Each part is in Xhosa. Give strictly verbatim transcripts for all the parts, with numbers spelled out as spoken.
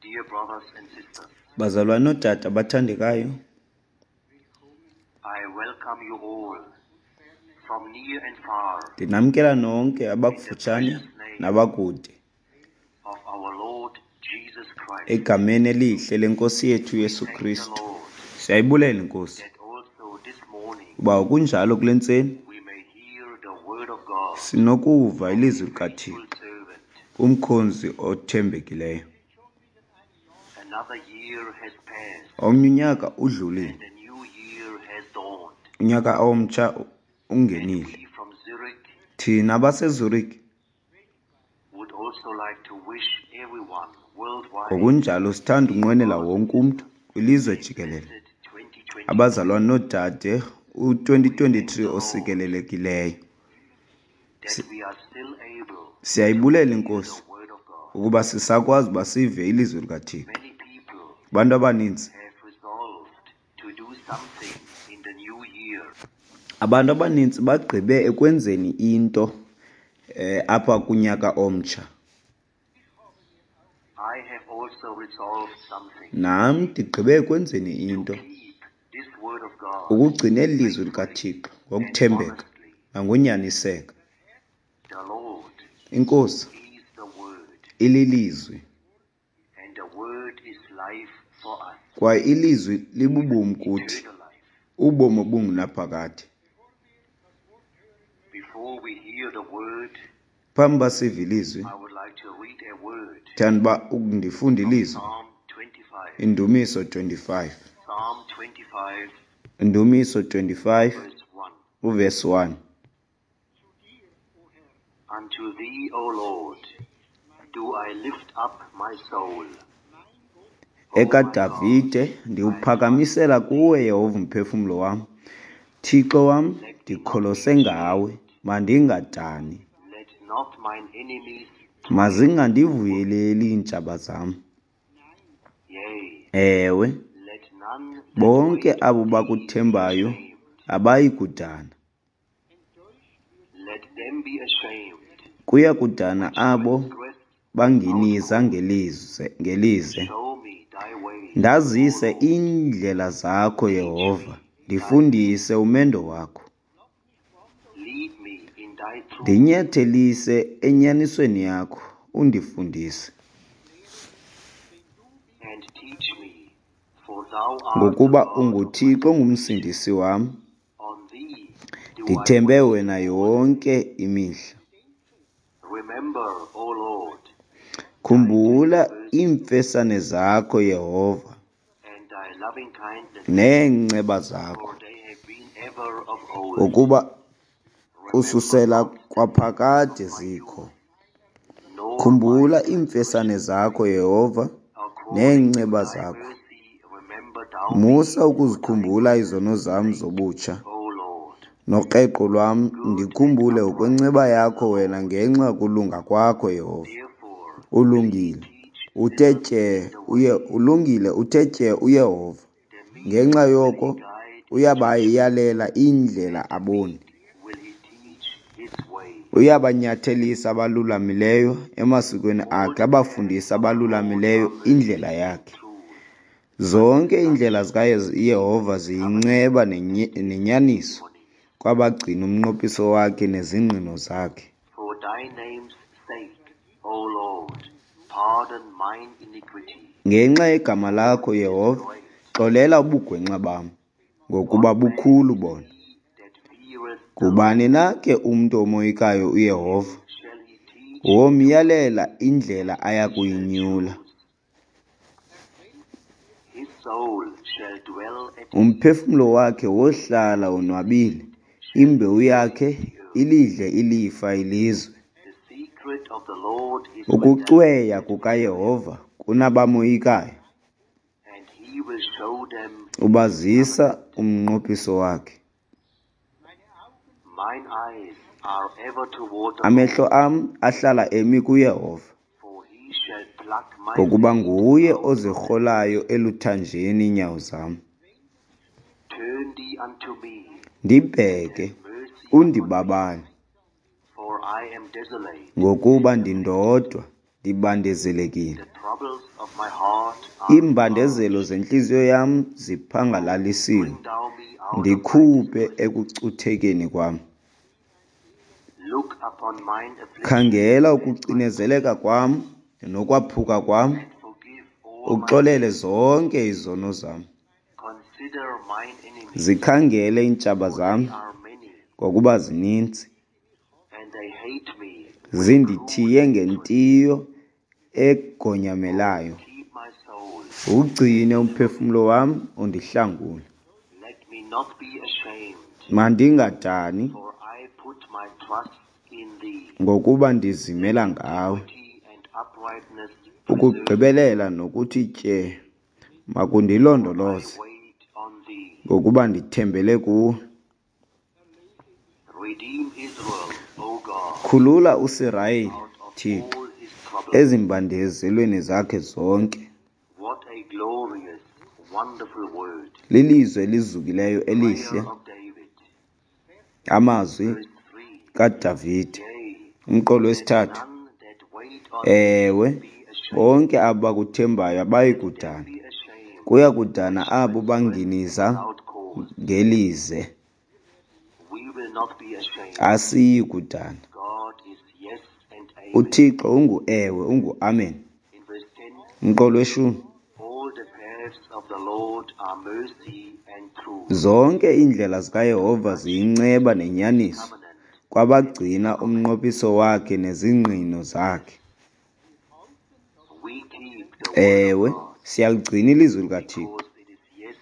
Dear brothers and sisters, Bazalwane noodade abathandekayo, I welcome you all from near and far ndinamkela nonke abakufutshane nabakude of our Lord Jesus Christ. egameni elihle lenkosi yethu Yesu Thank the Kristu. Lord Siyayibulela inkosi that also this morning uba kunjalo kule ntseni we may hear the word of God, sinokuva ilizwi faithful likaThixo servant. kumkhonzi othembekileyo. Another year has passed Omnye unyaka udlulile, and a new year has dawned. unyaka omtsha And ungenile. we from Zurich Thina abaseZurich would also like to wish everyone worldwide ngokunjalo sithanda unqwenela wonke umntu kwilizwe jikelele blessed twenty twenty abazalwane noodade u-twenty twenty-three osikelelekileyo. that we are still able Siyayibulela to hear inkosi the word of God. ukuba sisakwazi uba sive ilizwi likaThixo. Many people Abantu abaninzi have resolved to do something in the new year. Abantu abaninzi bagqibe ekwenzeni into eh apha kunyaka omtsha. I have also resolved something. Nam ndigqibe ekwenzeni into To keep this word of God ukugcina eli lizwi likaThixo ngokuthembeka honestly. nangonyaniseka. The Lord Inkosi is the word, ililizwi and the word is life for us. kwaye ilizwi libubomi kuthi, Eternal life. ubomi obungunaphakade. Before we hear the word, Phambi uba sive ilizwi, I would like to read a word. ndithanda uba ndifunda ilizwi Psalm twenty-five. Indumiso twenty-five. Psalm twenty-five, Indumiso twenty-five, verse one. uverse one. Unto thee, O Lord, do I lift up my soul. EkaDavide, ndiwuphakamisela kuwe Yehova umphefumlo wam. Thixo wam, ndikholose ngawe, mandingadani. Let not mine enemies Mazingandivuyeleli iintshaba zam. Yea, Ewe, let none that bonke wait abo for thee be bakuthembayo ashamed. abayi kudana. Let them be ashamed Kuya kudana which abo transgress banginiza our cause. ngelize, ngelize. Show me thy way, O Ndazise Lord. iindlela zakho Teach Yehova, me thy ndifundise umendo wakho. Lead me in thy truth. Ndinyathelise enyanisweni yakho, undifundise. And teach me, for thou art the Ngokuba God of my unguThixo salvation. ongumsindisi wam, On thee do I ndithembe wait wena all yonke day. imihla. Remember, O Lord, thy Khumbula tender mercies iimfesane zakho Yehova and thy loving kindness, neenceba zakho, for they have been ever of old. ngokuba Remember kususela not the sins kwaphakade of my zikho. youth, nor my Khumbula iimfesane transgressions. zakho Yehova According to neenceba thy zakho. mercy, remember thou me Musa for thy ukuzikhumbula goodness' izono zam sake, zobutsha O Lord. nokreqo lwam, Good and ndikhumbule upright ngokwenceba is the yakho wena Lord. ngenxa yokulunga kwakho Yehova. Therefore will he Ulungile, teach uthe sinners tye the uye way. ulungile uthe tye uYehova. The meek Ngenxa will he yoko guide in judgment, uyabayalela indlela and the aboni. meek will he teach his way. Uyabanyathelisa abalulamileyo emasikweni All akhe, the paths abafundise of the Lord abalulamileyo are mercy indlela and yakhe. truth unto Zonke such iindlela as zikaYehova keep his covenant ziyinceba and nenye- his nenyaniso testimonies. kwabagcina umnqophiso wakhe nezingqino zakhe. For thy name's sake, O Lord, pardon mine iniquity, Ngenxa yegama for lakho it is Yehova, great. xolela ubugwenxa bam, ngokuba What man bukhulu is bona. he that feareth the Ngubani Lord? na ke umntu omoyikayo uYehova? Him shall he teach the way, Womyalela indlela aya and he shall kuyinyula. choose. His soul shall dwell at ease, Umphefumlo wakhe wohlala and his wonwabile, seed shall imbewu inherit yakhe the earth. ilidle ilifa ilizwe. The secret of the Lord is with them Ukucweya that fear him, kukaYehova kunabamoyikayo, and he will show them his ubazisa covenant. umnqophiso wakhe. Mine eyes are ever toward the Amehlo Lord, am ahlala emi kuYehova, for he shall pluck my ngokuba feet nguye out of the ozirholayo pit. eluthanjeni iinyawo zam. Turn thee unto me, and Ndibheke, have mercy upon me, undibabale, for I am desolate ngokuba and afflicted. ndindodwa, Ndibandezelekile. The troubles of my heart are Iimbandezelo zentliziyo yam ziphangalalisiwe. Bring thou me out of my Ndikhuphe distress. ekucuthekeni kwam. Look upon mine affliction Khangela ukucinezeleka kwam nokwaphuka kwam, and forgive all my uxolele zonke izono zam. Consider mine enemies, Zikhangele iintshaba zam, they are many, ngokuba zininzi. and they hate me. Zindithiye ngentiyo egonyamelayo. Keep my soul. Ugcine umphefumlo wam undihlangule. Let me not be ashamed, Mandingadani, for I put my trust in thee. ngokuba ndizimela ngawe. Equity and uprightness preserve Ukugqibelela nokuthi tye makundilondoloze, I wait on thee. ngokuba ndithembele kuwe. Redeem Israel, O God, Khulula uSirayeli, out of Thixo, all his troubles. ezimbandezelweni zakhe zonke. What a glorious, wonderful word. Lilizwi elizukileyo elihle, Prayer of David, amazwi verse three. kaDavide. Yea, Umqolo wesithathu. none that wait on thee Ewe, be ashamed. bonke abo bakuthembayo abayi kudana. Be ashamed Kuya kudana abo banginiza without cause. ngelize. We will not be ashamed. Asiyi kudana. God is yes and amen. UThixo ungu-ewe, ungu-amen. In verse ten, Umqolo weshumi. all the paths of the Lord are mercy and truth. Zonke iindlela zikaYehova ziyinceba nenyaniso Covenant. kwabagcina umnqophiso wakhe nezingqino zakhe. We keep the word Ewe, of God siyaligcina ilizwi likaThixo because it is yes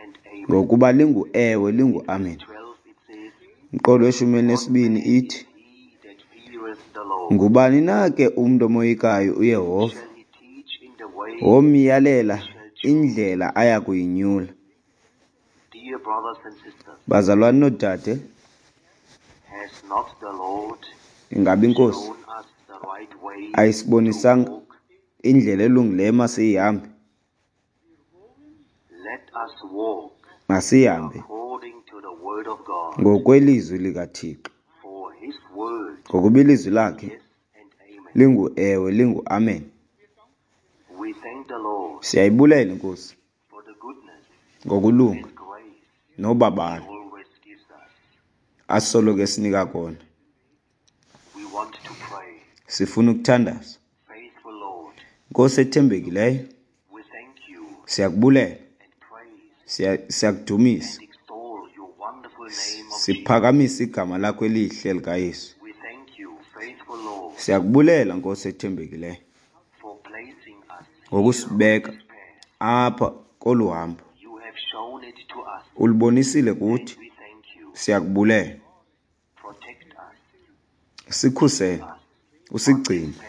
and amen. ngokuba lingu-ewe, lingu-amen. twelve it says, Umqolo weshumi elinesibini ithi, He that feareth the Lord ngubani na ke umntu omoyikayo uYehova? shall he teach in the way. Womyalela indlela aya kuyinyula. Dear brothers and sisters, Bazalwane noodade, has not the Lord ingaba iNkosi shown us the right way to ayisibonisanga walk? indlela elungileyo masiyihambe? Let us walk Masiyihambe according to the word of God, ngokwelizwi likaThixo, for his word ngokuba ilizwi lakhe yes and amen. lingu-ewe, lingu-amen. We thank the Lord Siyayibulela iNkosi for the goodness ngokulunga and grace nobabalo he always gives us. asoloko esinika kona. We want to pray. Sifuna ukuthandaza. Faithful Lord, Nkosi ethembekileyo, we thank you siyakubulela, and praise siya- siyakudumisa, and extol your wonderful name of Jesus. siphakamisa igama lakho elihle likaYesu. We thank you, faithful Lord, Siyakubulela Nkosi ethembekileyo for placing us ngokusibeka this path. apha kolu hambo. You have shown it to us. Ulubonisile kuthi, We thank you. siyakubulela. Protect us. Sikhusele, usigcine Path.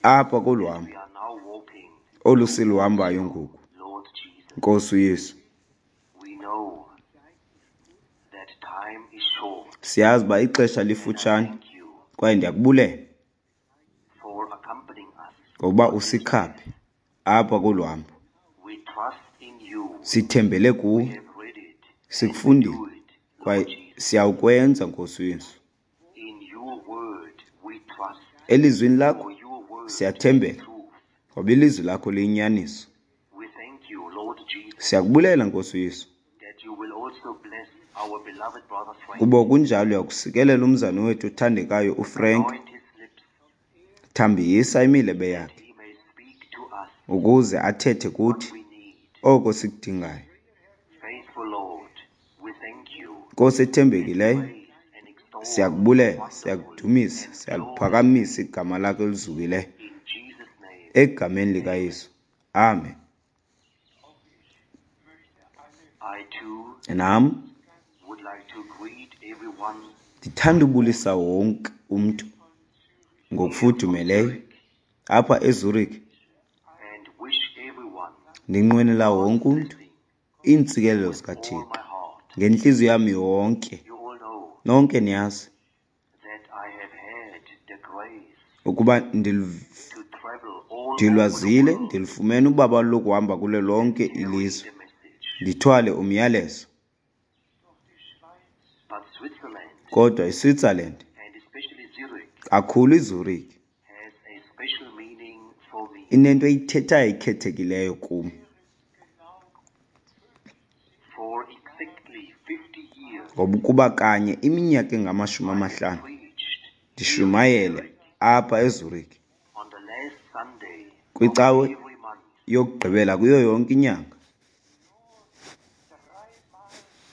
apha kolu hambo We are now walking, olu siluhambayo ngoku. Lord Jesus. Nkosi uYesu, We know that time is short. siyazi uba ixesha lifutshane Thank you kwaye ndiyakubulela for accompanying us. ngokuba usikhaphe apha kolu hambo. We trust in you. Sithembele kuwe, We have read it. sikufundile Do it, kwaye Lord Jesus. siyawukwenza Nkosi uYesu. In your word we trust. Elizwini lakho For your word siyathembela is truth. ngoba ilizwi lakho liyinyaniso. We thank you, Lord Jesus, Siyakubulela Nkosi uYesu that you will also bless our beloved brother Frank. kuba kunjalo uyakusikelela umzane wethu othandekayo uFrank. Anoint his lips Thambisa imilebe yakhe he may speak to us ukuze athethe kuthi we need. oko sikudingayo. Faithful Lord, we thank you. Nkosi ethembekileyo, Praise and extol siyakubulela, wonderful siyakudumisa, and glorious siyaliphakamisa igama lakho elizukileyo in Jesus' name. egameni likaYesu. Amen. I too Nam would like to greet everyone ndithanda ubulisa wonke umntu ngokufudumeleyo apha eZurich. and wish everyone Ndinqwenela wonke umntu iintsikelelo all zikaThixo my heart. ngentliziyo yam yonke. You all know Nonke niyazi that I have had the grace ukuba ndil- to travel all over the ndilwazile, world ndilufumene ubabalo lokuhamba kulo lonke carrying ilizwe the message. ndithwale umyalezo. But Switzerland Kodwa iSwitzerland, and especially Zurich kakhulu iZurich, has a special meaning for me. Inento eyithethayo ekhethekileyo kum. For exactly fifty years, Ngoba ukuba kanye iminyaka engamashumi amahlanu preached ndishumayele apha eZurich on the last Sunday of kwicawe every month. yokugqibela kuyo yonke inyanga.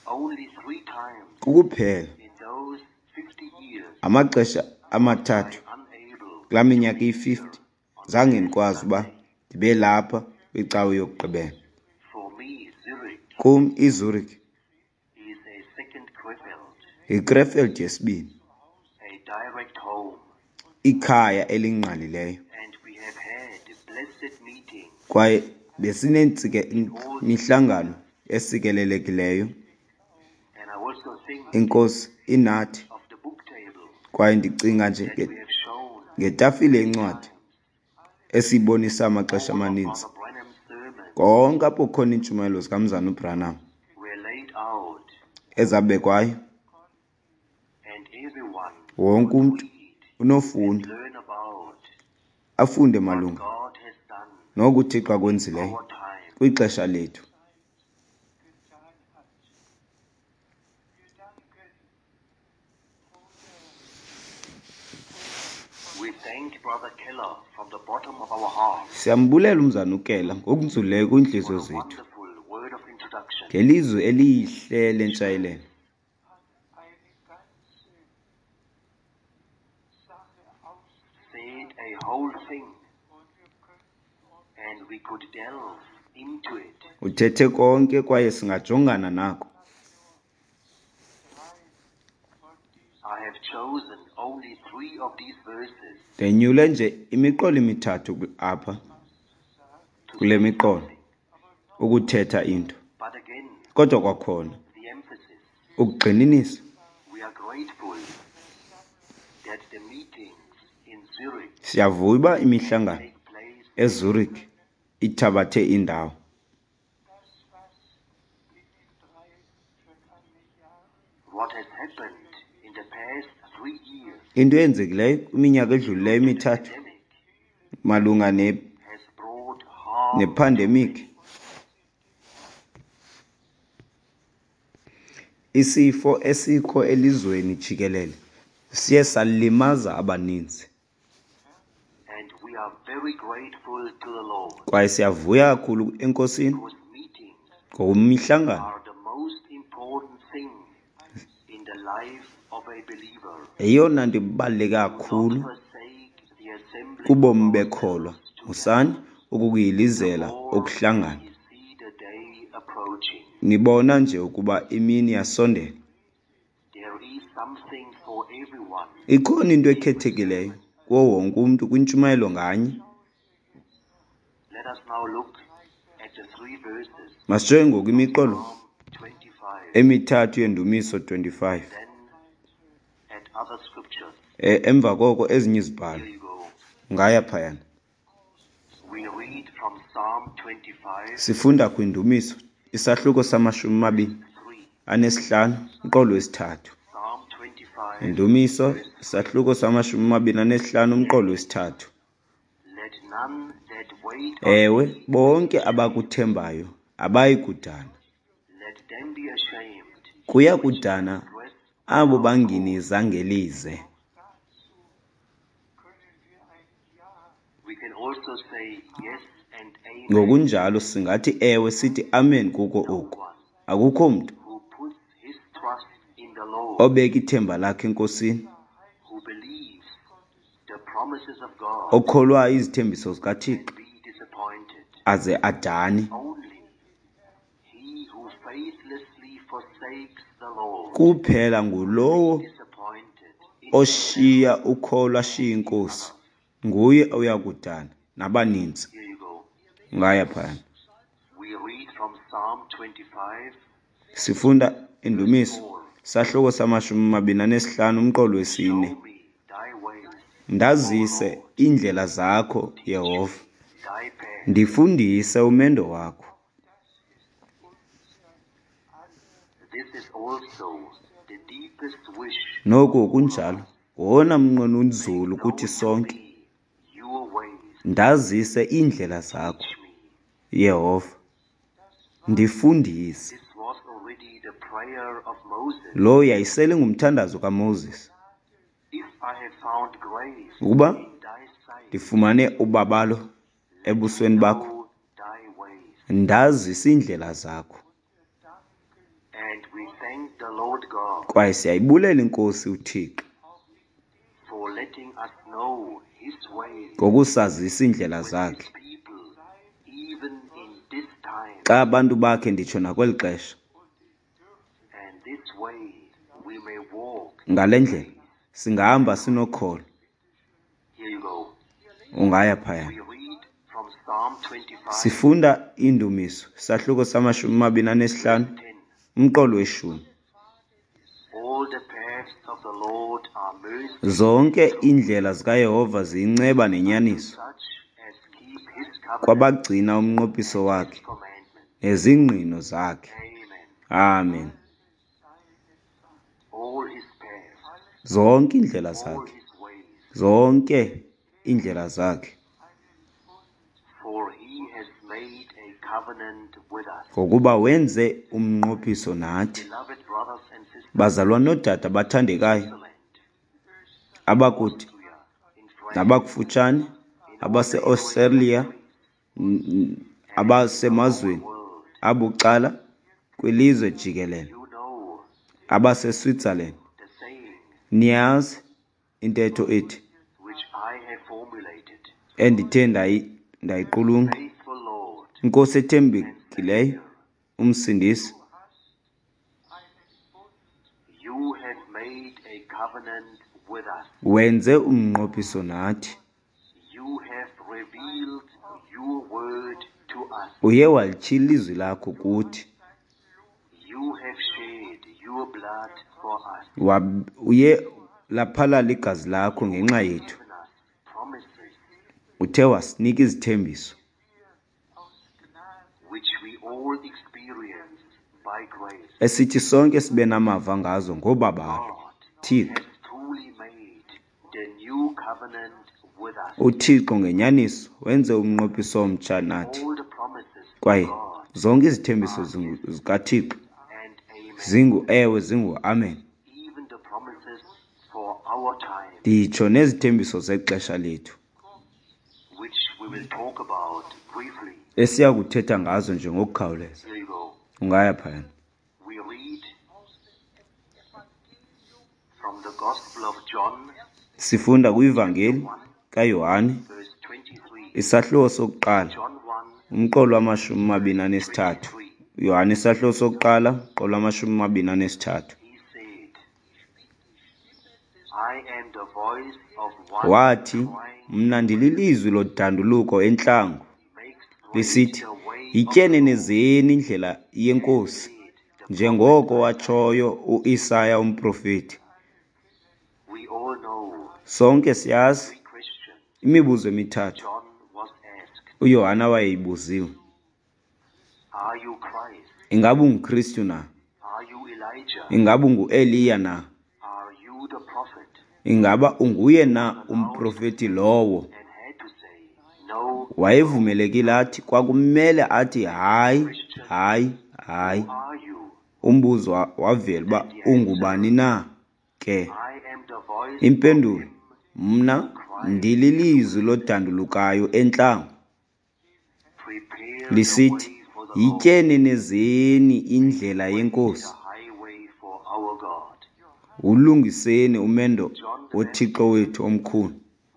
Only three times Kukuphela in those fifty years amaxesha amathathu unable kulaa minyaka iyi-fifty zange ndikwazi uba ndibe lapha kwicawe yokugqibela. For me, Zurich Kum iZurich is a second Krefeld, yiKrefeld yesibini, a direct home, ikhaya elingqalileyo. and we have had blessed meetings Kwaye besinemihlangano esikelelekileyo. And I also think Inkosi inathi. of the book table Kwaye ndicinga nje that nge- we have shown ngetafile yencwadi esiyibonisa amaxesha amaninzi. Brother Branham's sermon Konke apho kukhona iintshumayelo zikaMzana uBranham were laid out, ezabekwayo, and everyone wonke umntu read unofunda learn about afunde what malunga God has done noko uThixo akwenzileyo our time. kwixesha lethu. Getan hat. Wir danken Bruder We thank Brother Keller from the bottom of our heart Siyambulela uMzana uKela ngokunzulileyo for kwiintliziyo the zethu wonderful word of introduction. ngelizwi elihle lentshayelelo. Hat eine ganze Sache aus Said a whole thing, und wir könnten uns and we could delve into it. Uthethe konke kwaye singajongana nako. drei von diesen I have chosen only three of these verses Ndenyule nje imiqolo emithathu ku- apha to kule say miqolo something. ukuthetha into. But again, Kodwa kwakhona the emphasis. ukugxininisa, We are grateful that the meetings in Zurich siyavuya uba imihlangano take place eZurich ithabathe indawo. das, was in den drei vergangenen Jahren what has happened in the past three years. Into eyenzekileyo kwiminyaka edlulileyo emithathu Pandemic malunga ne has brought harm nepandemic, isifo esikho elizweni jikelele siye salimaza abaninzi. and we are very grateful to the Lord Kwaye siyavuya kakhulu eNkosini because meetings ngokumihlangano are the most important thing in the life of a believer. yeyona nto ibaluleke Do not kakhulu forsake the assembly kubomi of bekholwa. ourselves together. Musani ukukuyilizela The more ukuhlangana. we see the day approaching. Nibona nje ukuba imini yasondela. There is something for everyone. Ikhona into ekhethekileyo kuwo wonke umntu kwintshumayelo nganye. Let us now look at the three verses Masijonge ngoku imiqolo Psalm twenty-five, emithathu yendumiso twenty-five. then at other scriptures. E, emva koko ezinye izibhalo. Here you go. Ngaya phayana. We read from Psalm twenty-five, Sifunda kwindumiso isahluko samashumi amabini three. anesihlanu umqolo wesithathu. Psalm twenty-five, Indumiso isahluko samashumi amabini anesihlanu umqolo wesithathu. Let none that wait on Ewe, thee, bonke abakuthembayo abayi kudana. let them be ashamed. Kuya kudana Dress abo banginiza ngelize. dazu können wir ein Ja We can also say yes and amen. Ngokunjalo singathi ewe sithi amen kuko No oku. one Akukho mntu who puts his trust in the Lord, obeka ithemba lakhe eNkosini, who believes the promises of God, okholwayo izithembiso zikaThixo can be disappointed. aze adane. Only he who faithlessly forsakes the Lord Kuphela ngulowo disappointed in oshiya ukholo ashiye inkosi, nguye oya kudana nabaninzi. Here you go. Ngaya phayana. We read from Psalm twenty-five, Sifunda indumiso sahluko samashumi amabini anesihlanu umqolo wesine. Show me thy ways, Ndazise iindlela zakho, Yehova. thy path. Ndifundise umendo wakho. This is also the deepest wish Noko kunjalo, wona mnqweno unzulu kuthi Know to sonke. me your ways, Ndazise iindlela zakho, Teach me. Yehova, ndifundise. This was already the prayer of Moses. Lo yayisele ngumthandazo kaMoses. If I have found grace Ukuba in thy sight, ndifumane ubabalo ebusweni bakho, know thy ways. ndazise iindlela zakho. And we thank the Lord God Kwaye siyayibulela iNkosi uThixo for letting us know his ways ngokusazisa iindlela with his zakhe people, even in this time. xa abantu bakhe nditsho nakweli xesha. And this way we may walk. Ngale ndlela singahamba sinokholo. Here you go. Ungaya phaya. We read from Psalm twenty-five, Sifunda iindumiso isahluko samashumi amabini anesihlanu ten. umqolo weshumi. All the paths of the Lord are mercy, Zonke iindlela zikaYehova ziyinceba nenyaniso such as keep his covenant kwabagcina umnqophiso and his wakhe commandments. nezingqino zakhe. Amen. Amen. All his paths, Zonke iindlela all zakhe, his ways, zonke iindlela zakhe, for he has made a covenant with us. ngokuba wenze umnqophiso nathi. Beloved brothers and sisters, Bazalwane noodade abathandekayo Switzerland, abakude Austria, in France, nabakufutshane, in all neighboring abaseAustralia, countries, n- abasemazweni world, abucala kwilizwe jikelele, you know abaseSwitzerland, the saying niyazi intetho ethi which I have formulated. endithe ndayi- ndayiqulunqa. Faithful Lord Inkosi and ethembekileyo, Savior, uMsindisi, you have made a covenant with us. wenze umnqophiso nathi. You have revealed your word to us. Uye walityhila ilizwi lakho kuthi. You have shed your blood for us. Wab- Uye laphalala igazi lakho ngenxa yethu. Given us promises Uthe wasinika izithembiso which we all experience by grace. esithi sonke sibe namava ngazo ngobabalo. God Thixo, has truly made the new covenant with us. uThixo ngenyaniso wenze umnqophiso omtsha nathi. All the promises of Kwaye God zonke izithembiso zingu- zikaThixo and amen. zingu ewe zingu amen. Even the promises for our time, Nditsho nezithembiso zexesha lethu which we will talk about briefly. esiya kuthetha ngazo nje ngokukhawuleza. Here you go. Ungaya phayana. We read from the Gospel of John, Sifunda kwivangeli kaYohane verse twenty-three. isahluko sokuqala John one, umqolo wamashumi amabini anesithathu. twenty-three. Yohane isahluko sokuqala umqolo wamashumi amabini anesithathu. He said, I am the voice of one Wathi, crying, mna ndililizwi lodanduluko entlango make straight lisithi, the way of the Lord. yityenenezeni indlela yeNkosi, Said the njengoko watshoyo uIsaya umprofeti. We all know Sonke siyazi three questions imibuzo emithathu John was asked. uYohana wayeyibuziwe. Are you Christ? Ingaba unguKristu na? Are you Elijah? Ingaba unguEliya na? Are you the prophet? Ingaba unguye na umprofeti lowo? And had to say, no. Wayevumelekile athi kwakumele athi hayi, hayi, hayi. Who are you? Umbuzo wa- wavela uba ungubani na ke. I am the voice of Impendulo, him mna ndililizwi lodandulukayo entlango prepare the lisithi, way for the Lord, yityenenezeni indlela yeNkosi, the highway for our God. wulungiseni umendo John the woThixo wethu omkhulu.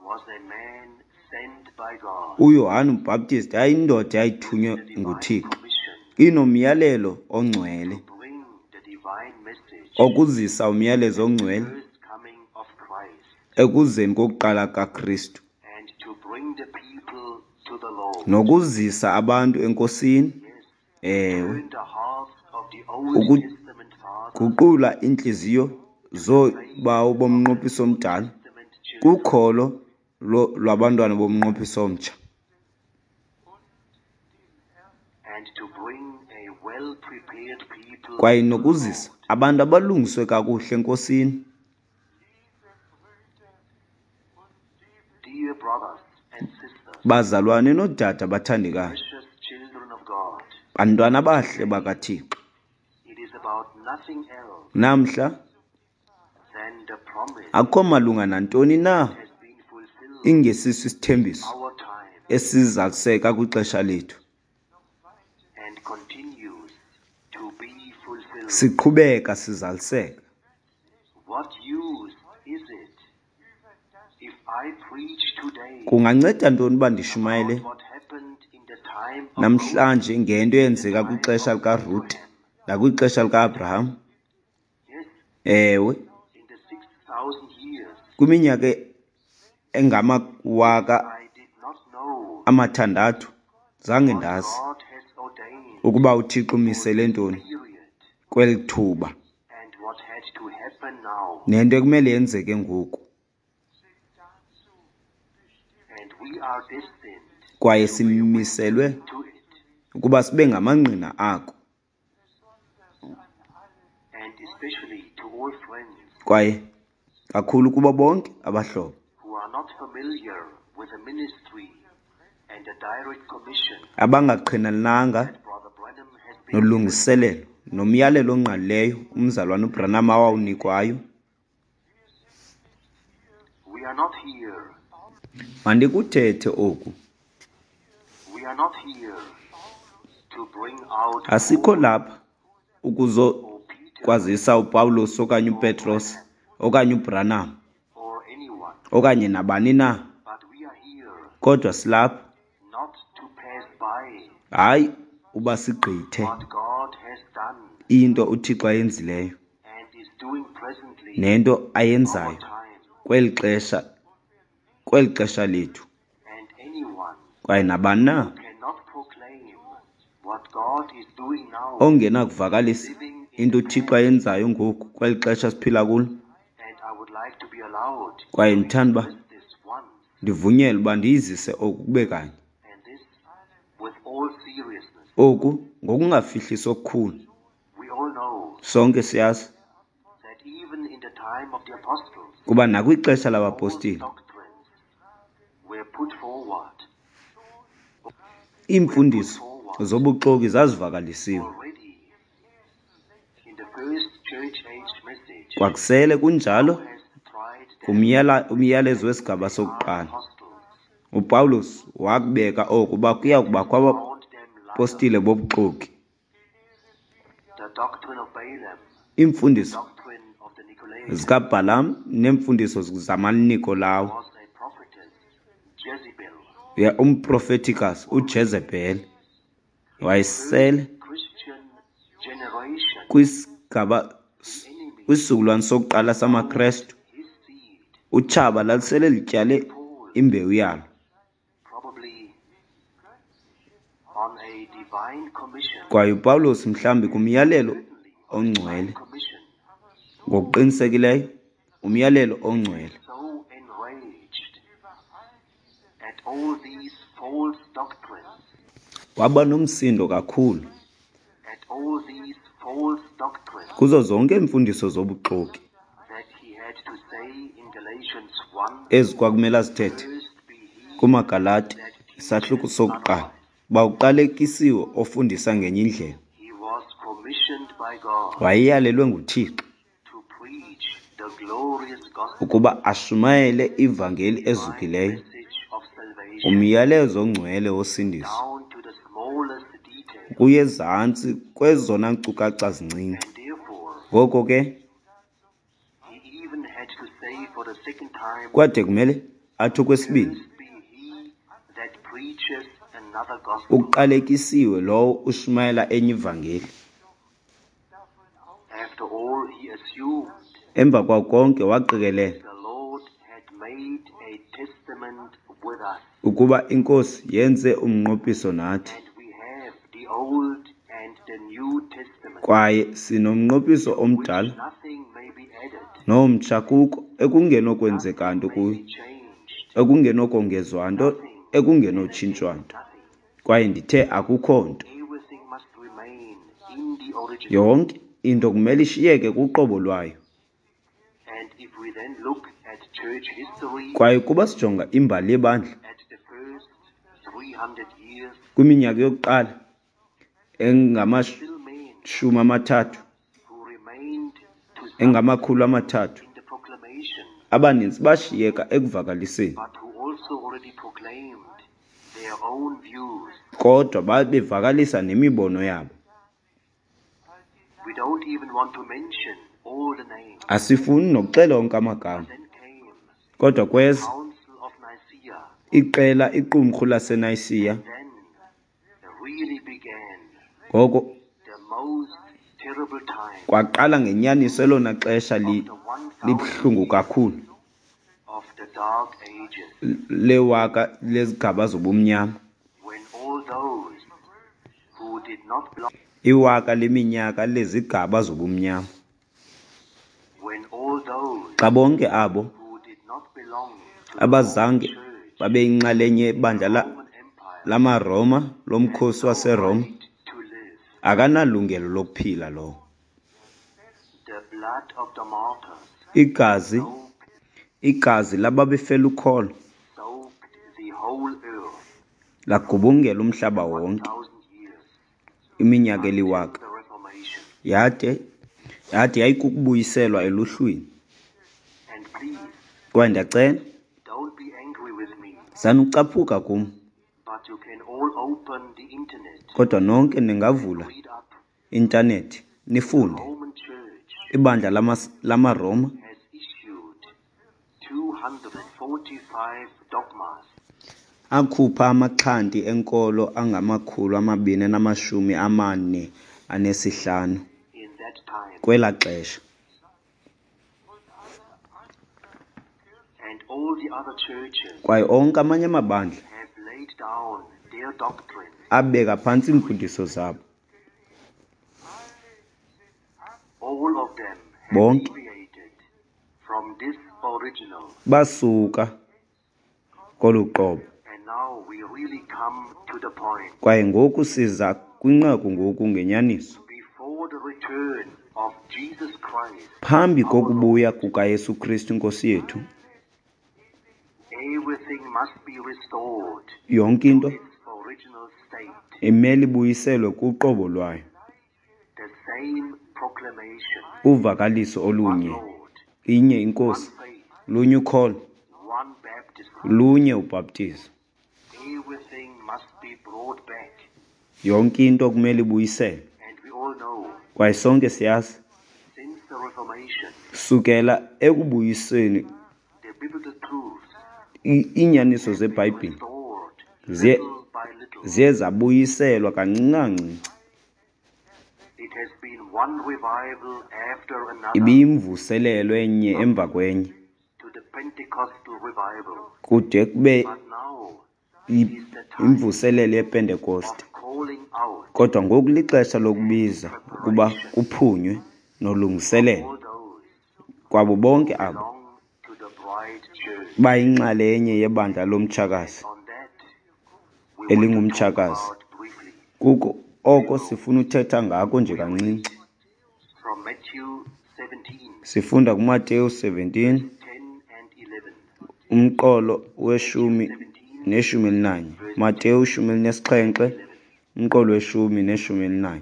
was a man sent by God uYohane uBhaptist yayindoda eyayithunywe with the divine nguThixo commission inomyalelo ongcwele to bring the divine message, okuzisa umyalezo ongcwele first coming of Christ, ekuzeni kokuqala kaKristu and to bring the people to the Lord. nokuzisa abantu eNkosini. Yes, Ewe, turn the hearts of the Old Uku- Testament fathers guqula iintliziyo zoobawo bomnqophiso omdala Testament children. kukholo lo- lwabantwana bomnqophiso omtsha and to bring a well-prepared people kwaye to the nokuzisa Lord. abantu abalungiswe kakuhle eNkosini. Dear brothers and sisters, Bazalwane noodade abathandekayo, precious children of God, bantwana abahle bakaThixo, it is about nothing else namhla than the promise akukho malunga nantoni na has been fulfilled ingesiso isithembiso our time esizaliseka kwixesha lethu, and continues to be fulfilled. Siqhubeka sizaliseka. What use is it if I preach today Kunganceda ntoni uba ndishumayele about what happened in the time of namhlanje ngento eyenzeka kwixesha likaRute nakwixesha lika-Abraham? Yes, Ewe, in the six thousand years kwiminyaka engamawaka I did not know amathandathu zange what ndazi God has ordained ukuba uThixo umisele ntoni period kweli thuba and what had to happen now. nento ekumele yenzeke ngoku. And we are destined Kwaye simiselwe to it, ukuba sibe ngamangqina ako, and especially to all friends kwaye kakhulu kubo bonke abahlobo who are not familiar with the ministry and the direct commission abangaqhinananga that Brother Branham has been given. nolungiselelo nomyalelo ongqalileyo umzalwana uBranham awawunikwayo. We are not here. Mandikuthethe oku. We are not here to bring out Asikho Paul lapha or ukuzokwazisa Peter uPawulos okanye uPetros okanye uBranham or anyone, okanye nabani na, but we are here kodwa silapha not to pass by hayi uba sigqithe what God has done into uThixo ayenzileyo and is doing presently nento in our ayenzayo time, kweli xesha kweli xesha lethu, and anyone kwaye nabani na cannot proclaim what God is doing now, ongenakuvakalisa living in into the uThixo past. ayenzayo ngoku kweli xesha siphila kulo. And I would like to be allowed Kwaye to ndithanda uba express this once, ndivunyelwe uba ndiyizise oku kube kanye, and this with all seriousness. oku ngokungafihlisi okukhulu. We all know Sonke siyazi that even in the time of the apostles, kuba nakwixesha false labapostile doctrines were put forward, were put iimfundiso forward zobuxoki zazivakalisiwe. already in the first church age message. Kwakusele kunjalo Who has tried them kumyala umyalezo that wesigaba they are sokuqala. apostles UPawulos wakubeka oku uba kuya kubakho and found them liars. abapostile bobuxoki. The doctrine of Balaam, Iimfundiso doctrine of the Nicolaitans, zikaBhalam neemfundiso zamaNikolawo, was a prophetess, Jezebel. ya umprofetikazi uJezebhele In the first wayesele Christian generation, kwisigaba the enemy kwisizukulwane sokuqala sowed samaKrestu. his seed Utshaba lalisele lityale to Paul, imbewu yalo probably on a divine commission, kwaye uPawulos mhlawumbi kumyalelo certainly on a divine ongcwele, commission, ngokuqinisekileyo umyalelo ongcwele, so enraged at all these false doctrines, waba nomsindo kakhulu at all these false doctrines, kuzo zonke iimfundiso zobuxoki that he had to say in Galatians one, ezi kwakumele azithethe Cursed be he kumaGalati that isahluko teacheth sokuqala, otherwise. uba uqalekisiwe ofundisa ngenye indlela. He was commissioned by God Wayeyalelwe nguThixo to preach the glorious gospel, ukuba ashumayele ivangeli divine ezukileyo, message of salvation, umyalezo ongcwele wosindiso, down to the smallest detail. kuye ezantsi kwezona nkcukacha zincinci. And therefore, Ngoko ke he even had to say for the second time, kwade kumele athi okwesibini, Cursed be he that preaches another gospel. uqalekisiwe lowo ushumayela enye ivangeli. After all, he assumed Emva kwako konke waqikelela the Lord had made a testament with us, ukuba iNkosi yenze umnqophiso nathi, and we have the Old and the New Testament, kwaye sinomnqophiso which omdala nothing may be added, nomtsha kuko ekungenokwenzeka nothing nto may kuyo, be changed, ekungenokongezwa nto, nothing, and I ekungenotshintshwa said nto. nothing. Kwaye ndithe akukho nto. Everything must remain in the original. Yonke into kumele ishiyeke kuqobo lwayo. And if we then look at church history, Kwaye kuba sijonga imbali yebandla at the first three hundred years, Kwiminyaka yokuqala engamashumi still men amathathu who remained to some engamakhulu amathathu in the proclamation, abaninzi bashiyeka ekuvakaliseni, but who also already proclaimed their own views. kodwa babevakalisa nemibono yabo. We don't even want to mention all the names. Asifuni nokuxela onke amagama, Then came kodwa kweza Council of Nicaea, iqela iqumrhu laseNayisiya. then really began Ngoko the most terrible time kwaqala ngenyaniso elona xesha li- of the one thousand libuhlungu kakhulu of the dark ages, lewaka lezigaba zobumnyama, when all those who did not belong, iwaka leminyaka lezigaba zobumnyama, when all those xa bonke abo who did not belong to the abazange Roman Church, babe yinxalenye yebandla la- Roman Empire, lamaRoma lomkhosi waseRoma right to live. akanalungelo lokuphila lowo. The blood of the martyrs Igazi soaked, igazi lababefela ukholo soaked the whole earth lagubungela umhlaba one wonke thousand years iminyaka until eliwaka, the Reformation. yade yade yayikukubuyiselwa eluhlwini. And please Kwaye ndiyacela don't be angry with me, sanucaphuka kum, but you can all open the internet, kodwa nonke ningavula read up. intanethi nifunde. Roman Church Ibandla lamas- lamaRoma has issued two hundred forty-five dogmas akhupha amaxhanti enkolo angamakhulu amabini anamashumi amane anesihlanu in that time, kwelaa xesha, and all the other churches kwaye onke amanye amabandla have laid down their doctrines. abeka phantsi iimfundiso zabo. All of them have Bonke deviated from this original, basuka kolu qobo. and now we really come to the point. Kwaye ngoku siza kwinqaku ngoku ngenyaniso. Before the return of Jesus Christ, Phambi our kokubuya Lord, kukaYesu Kristu Inkosi yethu, everything must be restored yonke to into its original state. imele ibuyiselwe kuqobo lwayo, The same proclamation, uvakaliso one olunye, Lord, inye one iNkosi, faith, lunye ukholo, one baptism. lunye ubhaptizo. Everything must be brought back. Yonke into kumele ibuyiselwe. And we all know, Kwaye sonke siyazi, since the Reformation, sukela ekubuyiseni the biblical truths i- iinyaniso have been zeBhayibhile restored ziye little by little. ziye zabuyiselwa kancinci kancinci. It has been one revival after another Ibiyimvuselelo enye up emva kwenye to the Pentecostal revival. kude kube But now i- is the time imvuselelo yePentekoste. of calling out Kodwa ngoku lixesha and lokubiza ukuba preparation kuphunywe of nolungiselelo all those kwabo bonke who abo belong to the bride church. bayinxalenye yebandla lomtshakazi On that, we want to talk elingumtshakazi. about briefly. Kuko oko sifuna uthetha ngako nje We read kancinci. from Matthew seventeen, Sifunda kuMateyu seventeen verses ten and eleven. umqolo Matthew weshumi seventeen, neshumi elinanye. verse Mateyu ten shumi and elinesixhenxe eleven. umqolo weshumi neshumi elinanye.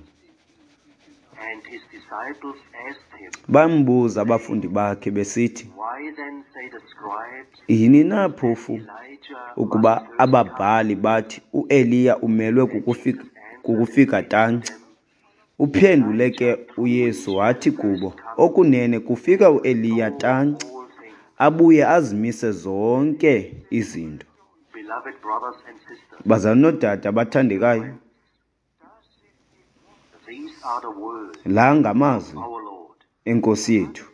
And his disciples asked him, Bambuza abafundi saying, bakhe besithi, Why then say the scribes yini na that phofu Elijah must ukuba first come? ababhali bathi uEliya umelwe And kukufika, Jesus answered and kukufika said to tanci? them, Uphendule Elijah ke truly uYesu shall wathi first kubo, come okunene kufika and uEliya restore tanci, all things. abuye azimise zonke izinto. Beloved brothers and sisters, Bazalwane noodade abathandekayo, friends, these are the words la of ngamazwi our Lord. enkosi yethu.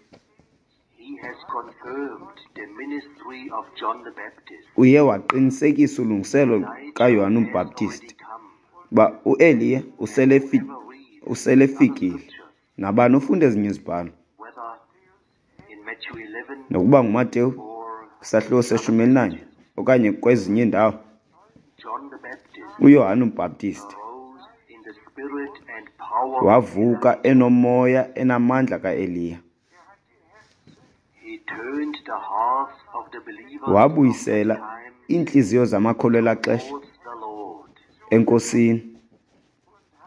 He has confirmed the ministry of John the Baptist. Uye waqinisekisa ulungiselo Elijah kaYohane has uMbhaptizi already come, uba uEliya and uselefi whoever reads other uselefikile. scriptures, Nabani ofunda ezinye izibhalo, whether in Matthew eleven nokuba nguMateyu or isahluko in other seshumi elinanye passages, okanye kwezinye iindawo, John the Baptist uYohane uMbhaptisti arose in the spirit and power of wavuka Elijah. enomoya enamandla kaEliya. He turned the hearts of the believers of that Wabuyisela time iintliziyo zamakholwa elaa xesha towards the Lord. Lord, enkosini,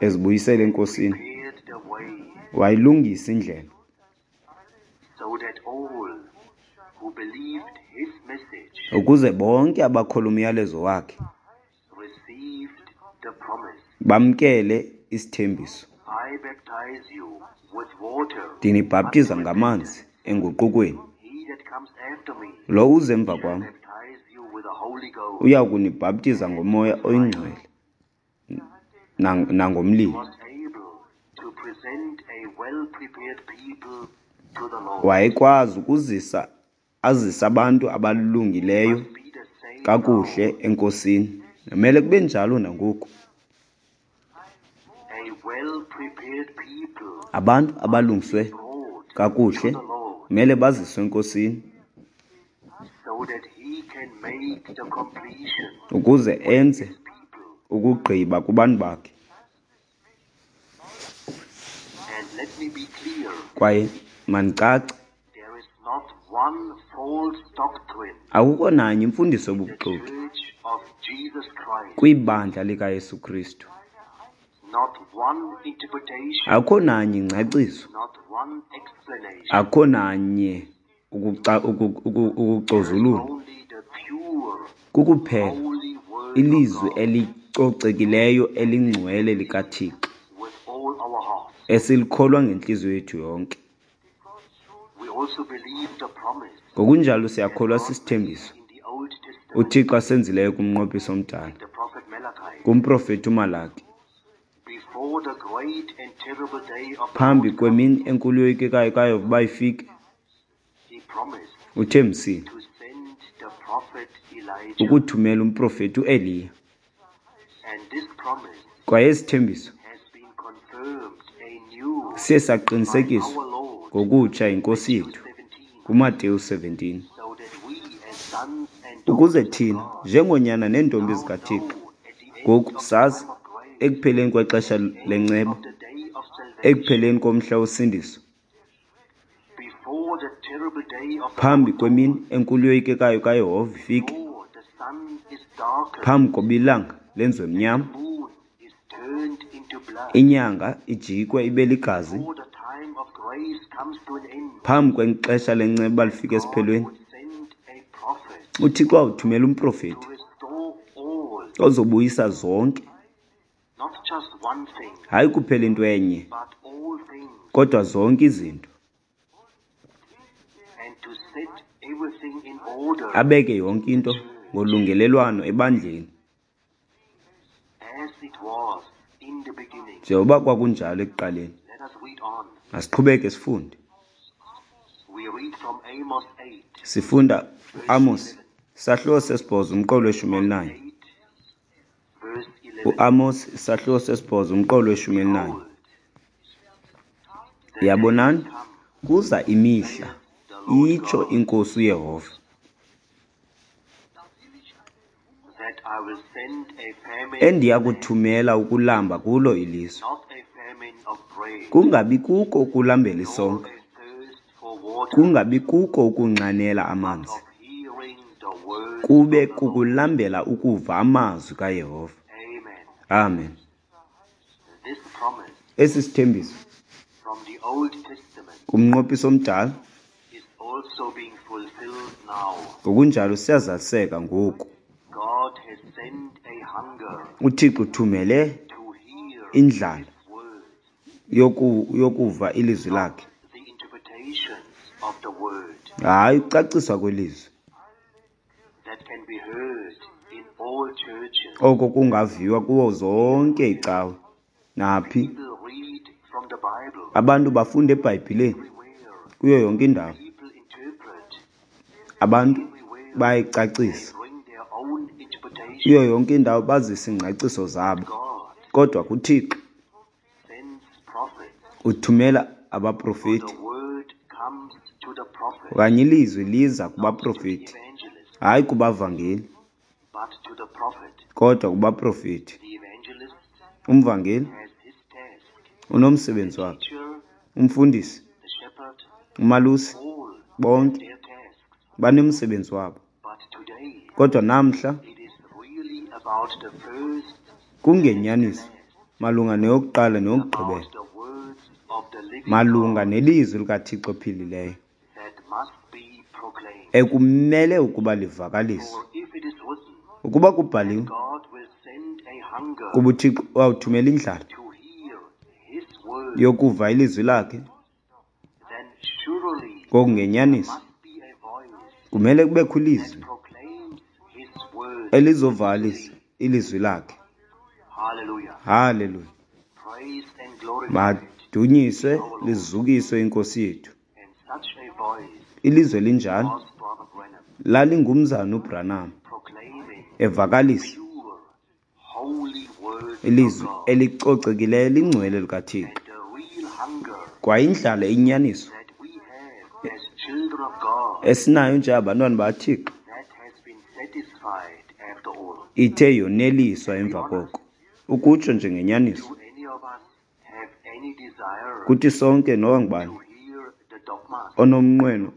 ezibuyisela enkosini. prepared the way Wayilungisa indlela so that all who believed his message ukuze bonke abakholwa umyalezo wakhe received the promise. bamkele isithembiso. I baptize you with water. Ndinibhaptiza ngamanzi enguqukweni. He that comes after me Lo uze emva shall kwam baptize you with the Holy Ghost. uya kunibhaptiza ngomoya oyingcwele nang- nangomlilo. Was able to present a well-prepared people to the Lord. Wayekwazi ukuzisa azise abantu abalungileyo Be the same kakuhle now. enkosini. Kumele kube njalo nangoku. A well-prepared people Abantu abalungiswe brought to kakuhle the Lord kumele baziswe enkosini so that he can make the completion ukuze enze his people. ukugqiba kubantu bakhe. And let me be clear, Kwaye mandicace, there is not one false doctrine akukho nanye imfundiso in the yobuxoki Church of Jesus Christ, kwibandla likaYesu Kristu. not one interpretation, Akukho nanye ingcaciso, not one explanation. akukho nanye ukuca- uku- uku- ukucozulula. Only the pure, Kukuphela holy word of ilizwi God elicocekileyo elingcwele likaThixo with all our hearts. esilikholwa ngentliziyo yethu yonke. We also believe the promise Ngokunjalo siyakholwa sisithembiso in the Old Testament, uThixo asenzileyo kumnqophiso omdala, the prophet Malachi, kumprofethi uMalaki, before the great and terrible day of the phambi Lord kwemini enkulu yoyikekayo kaYehova uba ifike, he promised uthembisile to send the prophet Elijah. ukuthumela umprofethi uEliya. And this promise Kwaye esithembiso has been confirmed anew siye by saqinisekiswa our Lord ngokutsha yinkosi Matthew yethu seventeen, kuMateyu seventeen, so that we as sons and ukuze daughters of thina God njengoonyana neentombi now zikaThixo know at the end ngoku of the sazi time of grace, ekupheleni kwexesha end lenceba, of the day of salvation, ekupheleni komhla wosindiso, before the terrible day of the phambi Lord, kwemini enkulu yoyikekayo kaYehova ifike, before the sun is darkened, phambi koba ilanga lenziwe mnyama, moon is turned into blood, inyanga ijikwe ibe ligazi, before the time of grace comes to an end, phambi kwexesha lenceba lifike God esiphelweni, would send a prophet uThixo awuthumela umprofethi to restore all, ozobuyisa zonke, not just one thing, hayi kuphela into enye, but all things, kodwa zonke izinto, and to set everything in order abeke yonke into ngolungelelwano ebandleni as it was in the beginning. njengoba kwakunjalo ekuqaleni. Let us read on. Masiqhubeke sifunde. We read from Amos eight, Sifunda uAmos isahluko sesibhozo umqolo weshumi elinanye. eight, verse eleven. UAmos isahluko sesibhozo umqolo weshumi elinanye. Behold, the Yabonani, days come, kuza imihla, the Lord itsho God, inkosi uYehova, that I will send a famine in endiya the land, kuthumela ukulamba kulo ilizwe, not a famine of bread, kungabi kuko ukulambela nor isonka, a thirst for water, kungabi kuko ukunxanela but amanzi, of hearing the word kube of the Lord. kukulambela ukuva amazwi kaYehova. Amen. Amen. This promise Esi sithembiso from the Old Testament kumnqophiso omdala is also being fulfilled now. ngokunjalo siyazaliseka ngoku. God has sent a hunger uThixo uthumele to hear indlala his word, yoku, yokuva ilizwi not lakhe, the interpretations of the word hayi ukucaciswa kwelizwi that can be heard in all churches. oko kungaviwa kuwo zonke iicawe naphi. People read from the Bible Abantu bafunda eBhayibhileni everywhere. kuyo yonke indawo. People interpret Abantu everywhere. They bayayicacisa bring their own interpretation. kuyo yonke indawo, bazise iingcaciso zabo. God Kodwa kuThixo sends prophets. uthumela For abaprofeti, the word comes to the prophet, okanye ilizwi liza not to the kubaprofeti, evangelist, hayi kubavangeli, but to the prophet. kodwa kubaprofeti. The evangelist Umvangeli has his task. unomsebenzi The wakhe, teacher, umfundisi, the shepherd, umalusi, all have bonke their tasks. banomsebenzi wabo. But today, Kodwa namhla it is really about the first Kungenyaniso and the last, malunga neyokuqala neyokugqibela, about the words of the living malunga God nelizwi likaThixo ophilileyo that must be proclaimed. ekumele ukuba livakaliswe. For if it is written, Ukuba kubhaliwe God will send a hunger kuba uThixo wawuthumela indlala to hear his word, yokuva ilizwi lakhe, then surely ngokungenyaniso must be a voice kumele kubekho that ilizwi proclaims his word. elizovakalisa ilizwi lakhe. Hallelujah. Haleluya! Praise and glorified. Madunyiswe lizukiswe inkosi yethu. And such a voice Ilizwe elinjalo was Brother Branham lalingumzana uBranham proclaiming evakalisa pure, holy words of ilizwi God elicocekileyo lingcwele likaThixo. and the real hunger Kwayindlala inyaniso that we have as children of God esinayo njengabantwana bakaThixo that has been satisfied after all. ithe yoneliswa emva koko. Ukutsho njengenyaniso Do any of us have any desire kuthi sonke noba ngubani to hear the dogmas? onomnqweno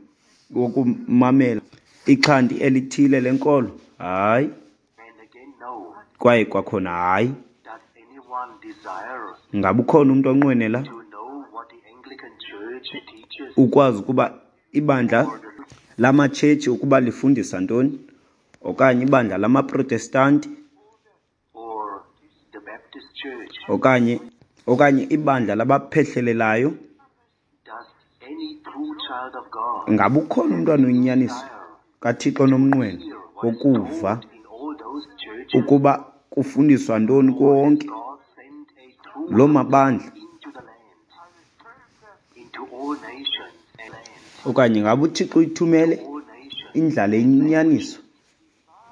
wokumamela ixhanti elithile lenkolo? Hayi. And again, no. Kwaye kwakhona hayi. Does anyone desire Ngaba ukhona umntu onqwenela to know what the Anglican Church teaches ukwazi ukuba ibandla or the lamatshetshi ukuba lifundisa ntoni, okanye ibandla lamaProtestanti, or the Baptist Church? okanye okanye ibandla labaphehlelelayo? Does any true child of God Ngaba ukhona umntwana oyinyaniso desire kaThixo nomnqweno hear what is wokuva taught in all those churches? ukuba kufundiswa ntoni kuwo Or has wonke God sent a true loo hunger mabandla? into the land, into all nations and land, Okanye ngaba uThixo uyithumele all nations indlala eyinyaniso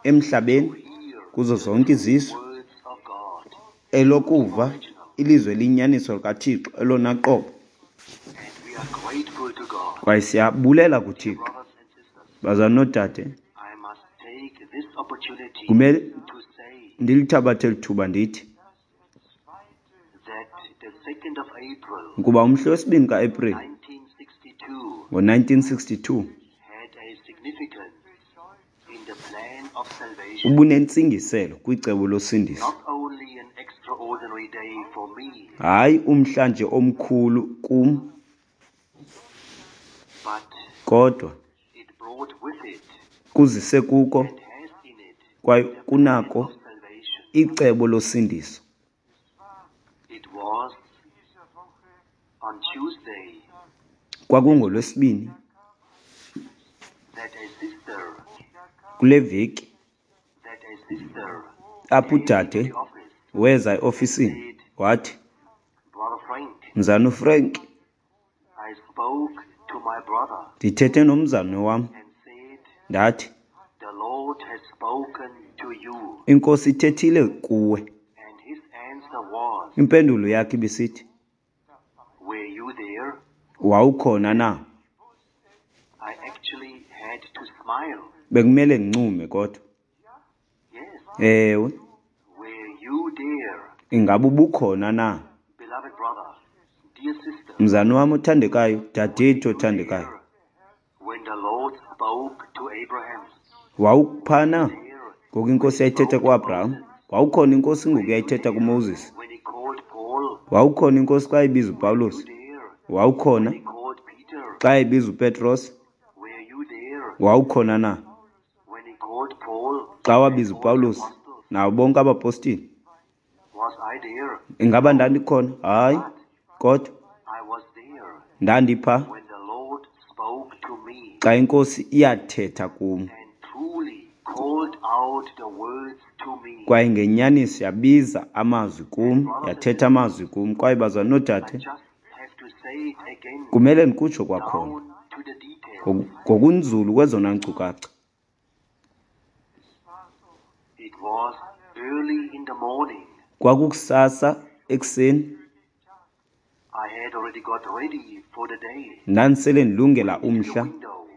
emhlabeni to hear kuzo the zonke true izizwe words of God, elokuva original? ilizwi eliyinyaniso likaThixo elona qobo? And we are grateful to God. Kwaye siyabulela Dear kuThixo. brothers and sisters, Bazalwane noodade, I must take this opportunity kumele to say ndilithabathe eli thuba ndithi that the second of April, ukuba umhla wesibini kaEprili nineteen sixty-two, ngo-nineteen sixty-two had a significance in the plan of salvation. ubunentsingiselo kwicebo losindiso. Not only an extraordinary day for me, Hayi umhla nje omkhulu kum, but kodwa it brought with it kuzise kuko and has in it kwaye the plan kunako of salvation. icebo losindiso. It was on Tuesday KwakungoLwesibini that a sister kule veki that a sister apho came into udade the office weza eofisini said, wathi, Brother Frank, Mzana uFrank, I spoke to my brother ndithethe nomzana wam and said, ndathi, the Lord has spoken to you. iNkosi ithethile kuwe. And his answer was, Impendulo yakhe ibisithi, were you there? wawukhona na? I actually had to smile. Bekumele ndincume kodwa. Yes. Ewe, Were you there? ingaba ubukhona na? Beloved brother, dear sister, Mzana wam othandekayo, were dadethu you othandekayo, there when the Lord spoke to Abraham? wawupha na There ngoku when iNkosi he yayithetha spoke to kuAbraham? Moses? Wawukhona iNkosi ngoku Were you yayithetha there kuMoses? when he called Paul? Wawukhona iNkosi xa ibiza Were you uPawulos? there Wawukhona when he called Peter? xa ibiza uPetros? Were you there Wawukhona na when he called Paul xa and wabiza all the uPawulos apostles? nabo bonke abapostile? Was I there? Ingaba No, ndandikhona? Hayi, but kodwa I was there ndandipha when the Lord spoke to me xa iNkosi iyathetha kum and truly called out the words to me. kwaye ngenyaniso yabiza amazwi And kum, brothers and yathetha sisters, amazwi kum. Kwaye bazalwane I noodade, just have to say it again, kumele ndikutsho kwakhona down to the details. ngoku- ngokunzulu kwezona nkcukacha. It was early in the morning. Kwakukusasa ekuseni, I had already got ready for the day. ndandisele ndilungela Went to the umhla, window,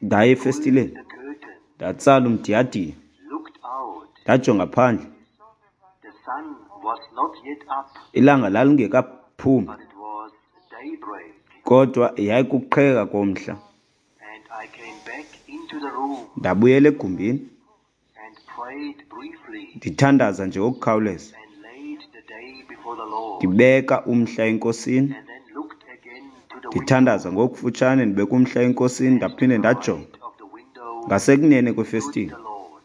ndaya pulled efestileni, the curtain, ndatsala umdiyadiya, looked out. ndajonga phandle. The sun was not yet up, Ilanga lalingekaphumi, but it was daybreak. kodwa yayikuqheka komhla. And I came back into the room Ndabuyela egumbini and prayed briefly ndithandaza nje ngokukhawuleza, and lay Ndibeka umhla eNkosini, and then looked again to the window. ndithandaza ngokufutshane, ndibeka umhla eNkosini, And to ndaphinde the ndajonga right of the window ngasekunene stood kwefestile. the Lord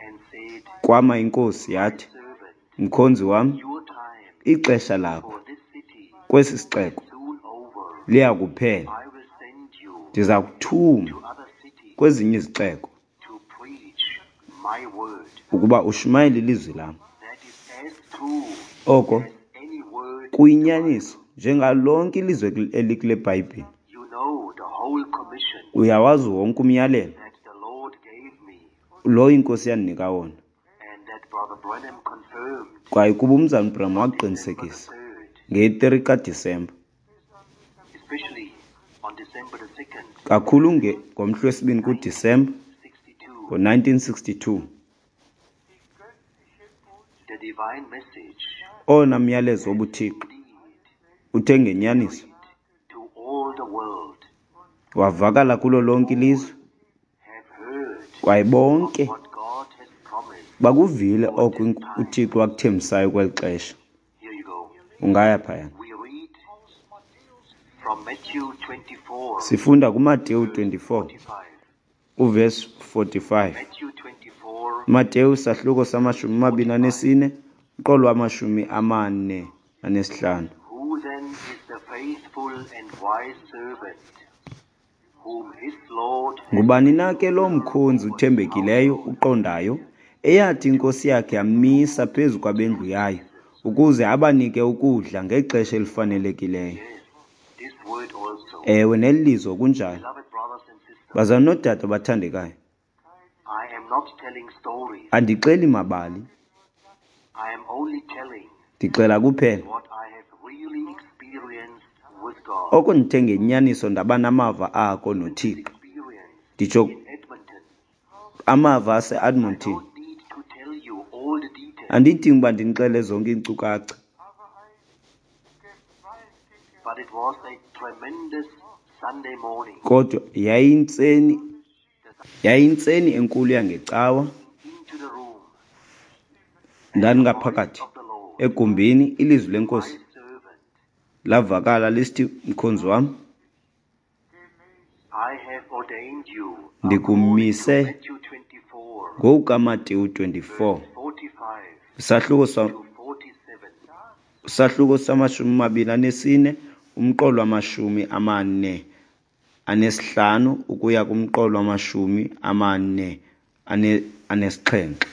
and said, Kwama iNkosi My yathi, servant, mkhonzi wam, your time ixesha lakho for this city kwesi is sixeko soon over. liya kuphela. I will send you Ndiza kuthuma to other cities kwezinye izixeko to preach my word. ukuba ushumayele ilizwi lam. That is as true Oko as any word in the kuyinyaniso Bible. njengalonke ilizwe elikule Bhayibhile. You know the whole commission Uyawazi wonke umyalelo that the Lord gave me lo iNkosi yandinika wona. and that Brother Branham confirmed Kwaye kuba uMzalwana uBranham on December the waqinisekisa third, ngeyi-three kaDisemba, especially on December the second, kakhulu nge ngomhla wesibini kuDisemba nineteen sixty-two, ngo-nineteen sixty-two, the divine message owona myalezo wobuThixo indeed uthe ngenyaniso carried to all the world. wavakala kulo lonke ilizwe, Have heard kwaye of bonke what God has promised bakuvile for oko this ink- time. uThixo wakuthembisayo kweli xesha. Here you go. Ungaya phayana. We read from Matthew twenty-four, Sifunda kuMateyu verse twenty-four forty-five. uvesi forty-five. Matthew twenty-four, Mateyu sahluko samashumi verse amabini forty-five. anesine umqolo wamashumi amane anesihlanu. Who then is the faithful and wise servant whom his Lord has Ngubani set na ke lo ruler mkhonzi over his uthembekileyo household uqondayo, eyathi inkosi yakhe yamisa phezu to kwabendlu yayo, season? ukuze abanike ukudla ngexesha elifanelekileyo? Yes, this word also. Ewe, neli lizwi kunjalo. Beloved brothers and sisters, Bazalwane noodade abathandekayo, I am not telling stories. andixeli mabali, I am only telling ndixela kuphela what I have really experienced with God. oko ndithe ngenyaniso ndaba namava ako Even this noThixo. experience Nditsho in Edmonton, amava I ase-Edmonton. don't need to tell you all the details, Andidingi uba ndinixele zonke iinkcukacha, but it was a tremendous Sunday morning. kodwa yayintseni The yayintseni enkulu yangecawa. into the room, and the voice Ndandingaphakathi of the Lord, egumbini, ilizwi my lenkosi servant, lavakala lisithi, mkhonzi wam, I have ordained you according to ndikumise Matthew twenty-four, ngokukaMateyu twenty-four, verse forty-five isahluko sa to forty-seven. isahluko samashumi amabini anesine umqolo wamashumi amane anesihlanu ukuya kumqolo wamashumi amane ane anesixhenxe,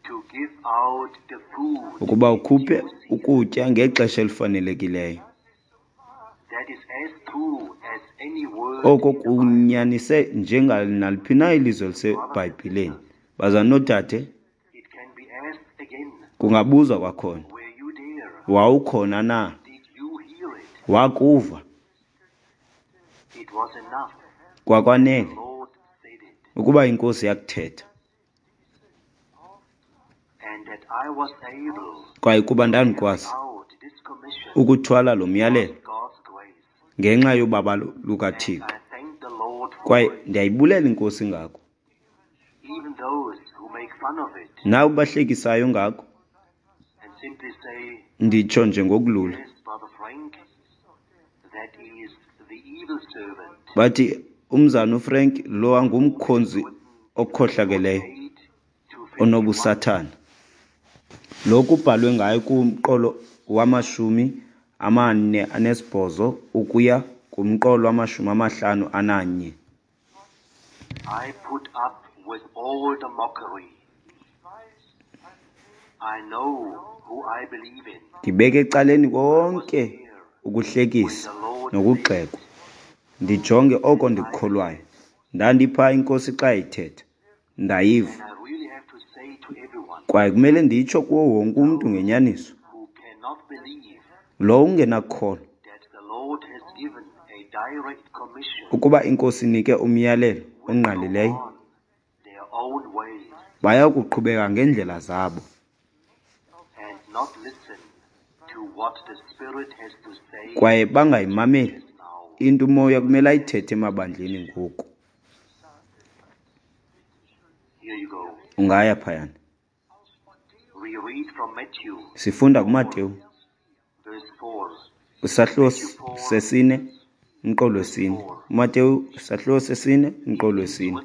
To give out the food ukuba in ukhuphe due season. ukutya ngexesha elifanelekileyo. That is as true as any word Oko in the Bible. kunyanise njenganaliphi na ilizwi Brothers and eliseBhayibhileni. sisters, Bazalwane noodade, it can be asked again, kungabuzwa kwakhona, were you there? wawukhona na? Did you hear it? Wakuva? It was enough. The Kwakwanele Lord said it. ukuba iNkosi yakuthetha, And that I was able kwaye kuba to carry ndandikwazi out this commission ukuthwala lo was myalelo God's grace. ngenxa yobabalo And lukaThixo. I thank the Lord for Kwaye it. ndiyayibulela iNkosi ngako. Even those who make fun of it Nawe bahlekisayo ngako, and simply say, nditsho nje ngokulula, yes, Brother Frank, that is the evil servant. bathi umzana uFrank lo angumkhonzi Written okhohlakeleyo forty-eight to fifty-one. onobusathana. Lokhu kubhalwe ngayo kumqolo wamashumi amane anesibhozo ukuya kumqolo wamashumi amahlanu ananye. I put up with all the mockery. I know who I believe in. Ndibeke ecaleni I was konke there when ukuhlekisa the Lord said nokugxekwa, ndijonge oko and I ndikukholwayo. heard it. Ndandipha iNkosi xa ithetha, ndayiva. And I really have to say to everyone, Kwaye kumele nditsho kuwo wonke umntu those ngenyaniso, who cannot believe lo ungenakukholwa that the Lord has given a direct commission ukuba iNkosi inike umyalelo will go ongqalileyo, on their own ways baya kuqhubeka ngeendlela zabo and not listen to what the Spirit has to say kwaye to the bangayimameli churches now. into umoya kumele ayithethe emabandleni ngoku. Here you go. Ungaya phayana. We We read from Matthew, Sifunda kuMateyu verse four. isahluko sesine umqolo wesine. uMateyu isahluko sesine umqolo wesine.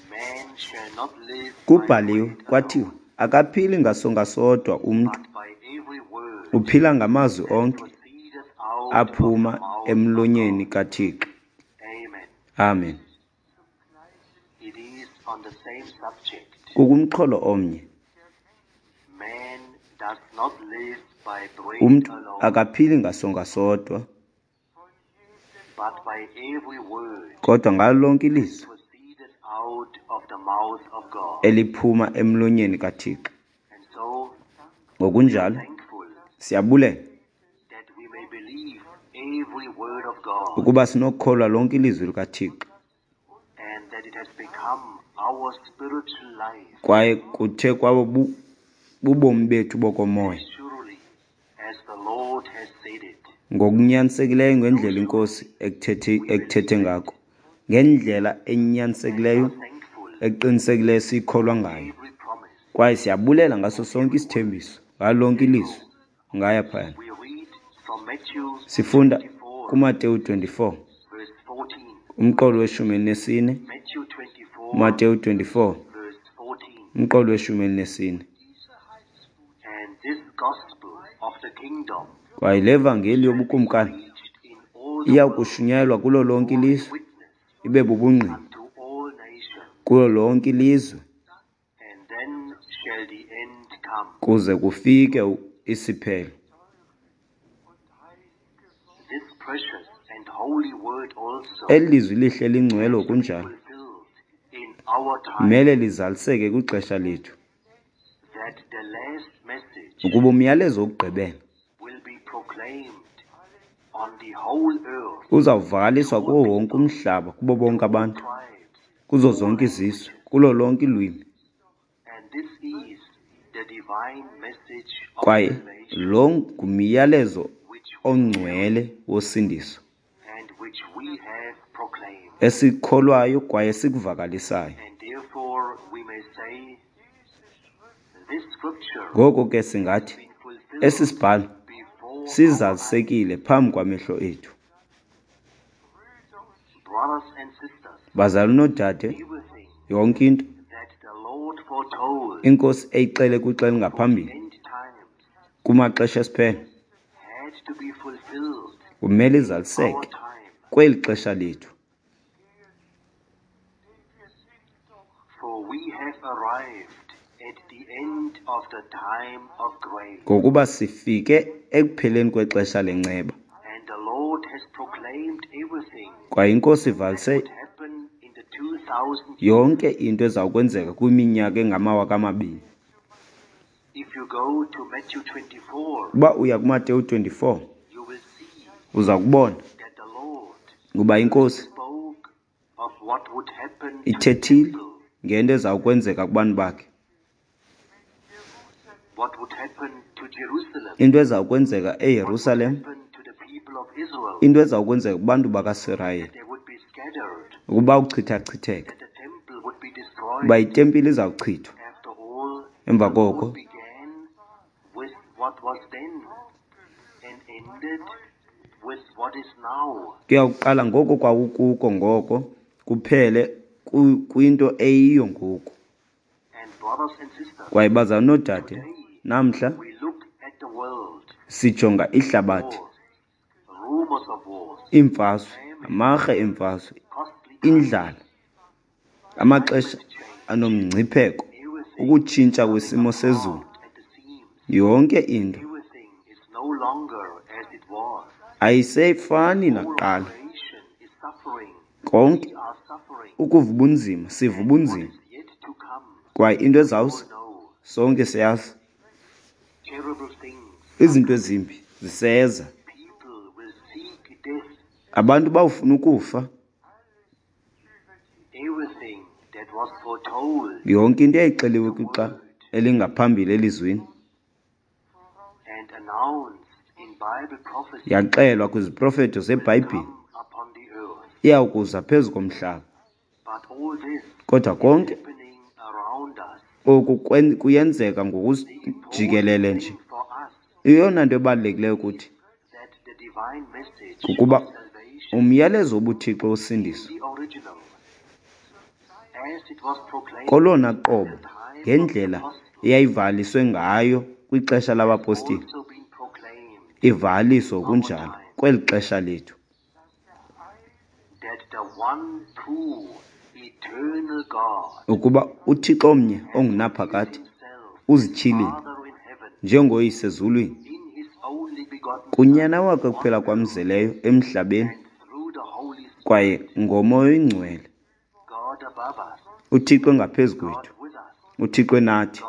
Man shall not live by Kubhaliwe bread kwathiwa alone, akaphili ngasonka sodwa umntu, but by every word uphila ngamazwi that onke proceedeth out of the aphuma mouth of emlonyeni God. kaThixo. Amen. Amen. It is on the same subject. Kukumxholo omnye. Man does not live by bread Umntu alone, akaphili ngasonka sodwa, but by every word kodwa ngalo lonke ilizwi proceedeth out of the mouth of God. eliphuma emlonyeni kaThixo. And so, Ngokunjalo, thankful siyabulela that we may believe every word of God ukuba sinokukholwa lonke ilizwi likaThixo and that it has become our spiritual life. kwaye kuthe kwabo bu- bubomi bethu bokomoya. Surely, as the Lord has said it, Ngokunyanisekileyo ngendlela iNkosi ekuthethe ekuthethe ngako, ngendlela enyanisekileyo are thankful eqinisekileyo siyikholwa ngayo. every promise. Kwaye siyabulela ngaso sonke isithembiso, ngalo lonke ilizwi. Ngaya phayana. We read from Matthew Sifunda twenty-four, kuMateyu twenty-four, verse fourteen. umqolo weshumi elinesine. Matthew twenty-four, uMateyu twenty-four, verse fourteen. umqolo weshumi elinesine. And this gospel of the kingdom Kwaye le vangeli yobukumkani preached in all the iya world kushunyayelwa kulo lonke for a ilizwe, witness ibe bubungqina unto all nations, kulo lonke ilizwe, and then shall the end come. kuze kufike u- isiphelo. This precious and holy word also Eli lizwi lihle lingcwele to be kunjalo fulfilled in our time, mele lizaliseke kwixesha lethu, that the last message ukuba umyalezo wokugqibela will be proclaimed on the whole earth, uzawuvakaliswa kuwo wonke umhlaba, kubo bonke abantu, tribes, kuzo zonke izizwe, kulo lonke ilwimi. and this is the divine message of Kwaye salvation lo ngumyalezo which we ongcwele wosindiso and which we have proclaimed. esikholwayo kwaye sikuvakalisayo. And therefore we may say, this scripture Ngoko ke singathi been fulfilled esi sibhalo before our eyes. sizalisekile phambi kwamehlo ethu. Brothers and sisters, Bazali noodade, everything yonke into that the Lord foretold iNkosi eyixele kwixa elingaphambili end times kumaxesha esiphelo had to be fulfilled kumele our izaliseke time. kweli xesha lethu. For we have arrived at the end of the time of grace, Ngokuba sifike ekupheleni kwexesha lenceba, and the Lord has proclaimed everything kwaye iNkosi that ivalise would happen in the two thousand years. yonke into ezawukwenzeka kwiminyaka engamawaka amabini. If you go to Matthew twenty-four, Uba uya kuMateyu twenty-four, you will see uza kubona that the Lord ukuba iNkosi spoke of what would happen to the ithethile people, ngento ezawukwenzeka kubantu bakhe, what would happen to Jerusalem, into ezawukwenzeka what would eYerusalem, happen to the people of Israel, into ezawukwenzeka kubantu bakaSirayeli, that they would be scattered, ukuba uchithachitheka, that the temple would be uba destroyed. itempile izawuchithwa. After all, Emva the koko Lord began with what was then and ended with what is now. kuyawuqala ngoko kwakukuko ngoko kuphele ku- kwinto eyiyo ngoku. And brothers and sisters, Kwaye bazali noodade, today namhla we look at the world, sijonga ihlabathi, wars, rumors of wars, iimfazwe, amarhe emfazwe, costly indlala, amaxesha climate change, anomngcipheko, everything ukutshintsha kwesimo sezulu, apart at the seams. yonke into Everything is no longer as it was. ayisefani All nakuqala. creation is suffering. Konke We are suffering. ukuva ubunzima, siva And what ubunzima, is yet to come, kwaye into we all ezawuza know. sonke siyazi. Terrible things are Izinto coming. ezimbi ziseza. People will seek death. Abantu bawufuna ukufa. Everything that was foretold Yonke into eyayixeliwe in the kwixa word elingaphambili elizwini and announced in Bible prophecy yaxelwa kwiziprofeto will zeBhayibhile come upon the earth. iyawukuza phezu komhlaba. But all this Kodwa is konke happening around us. Oku kuyenzeka ngokujikelele nje. Eyona nto ebalulekileyo kuthi kukuba umyalezo wobuthixo wosindiso kolona qobo ngendlela eyayivaliswe ngayo kwixesha labapostile, ivaliswe ngokunjalo kweli xesha lethu. Ukuba uThixo omnye ongunaphakade uzityhilile njengoYise ezulwini kuNyana wakhe kuphela kwamzeleyo emhlabeni kwaye ngoMoya oyiNgcwele, uThixo engaphezu kwethu, uThixo enathi,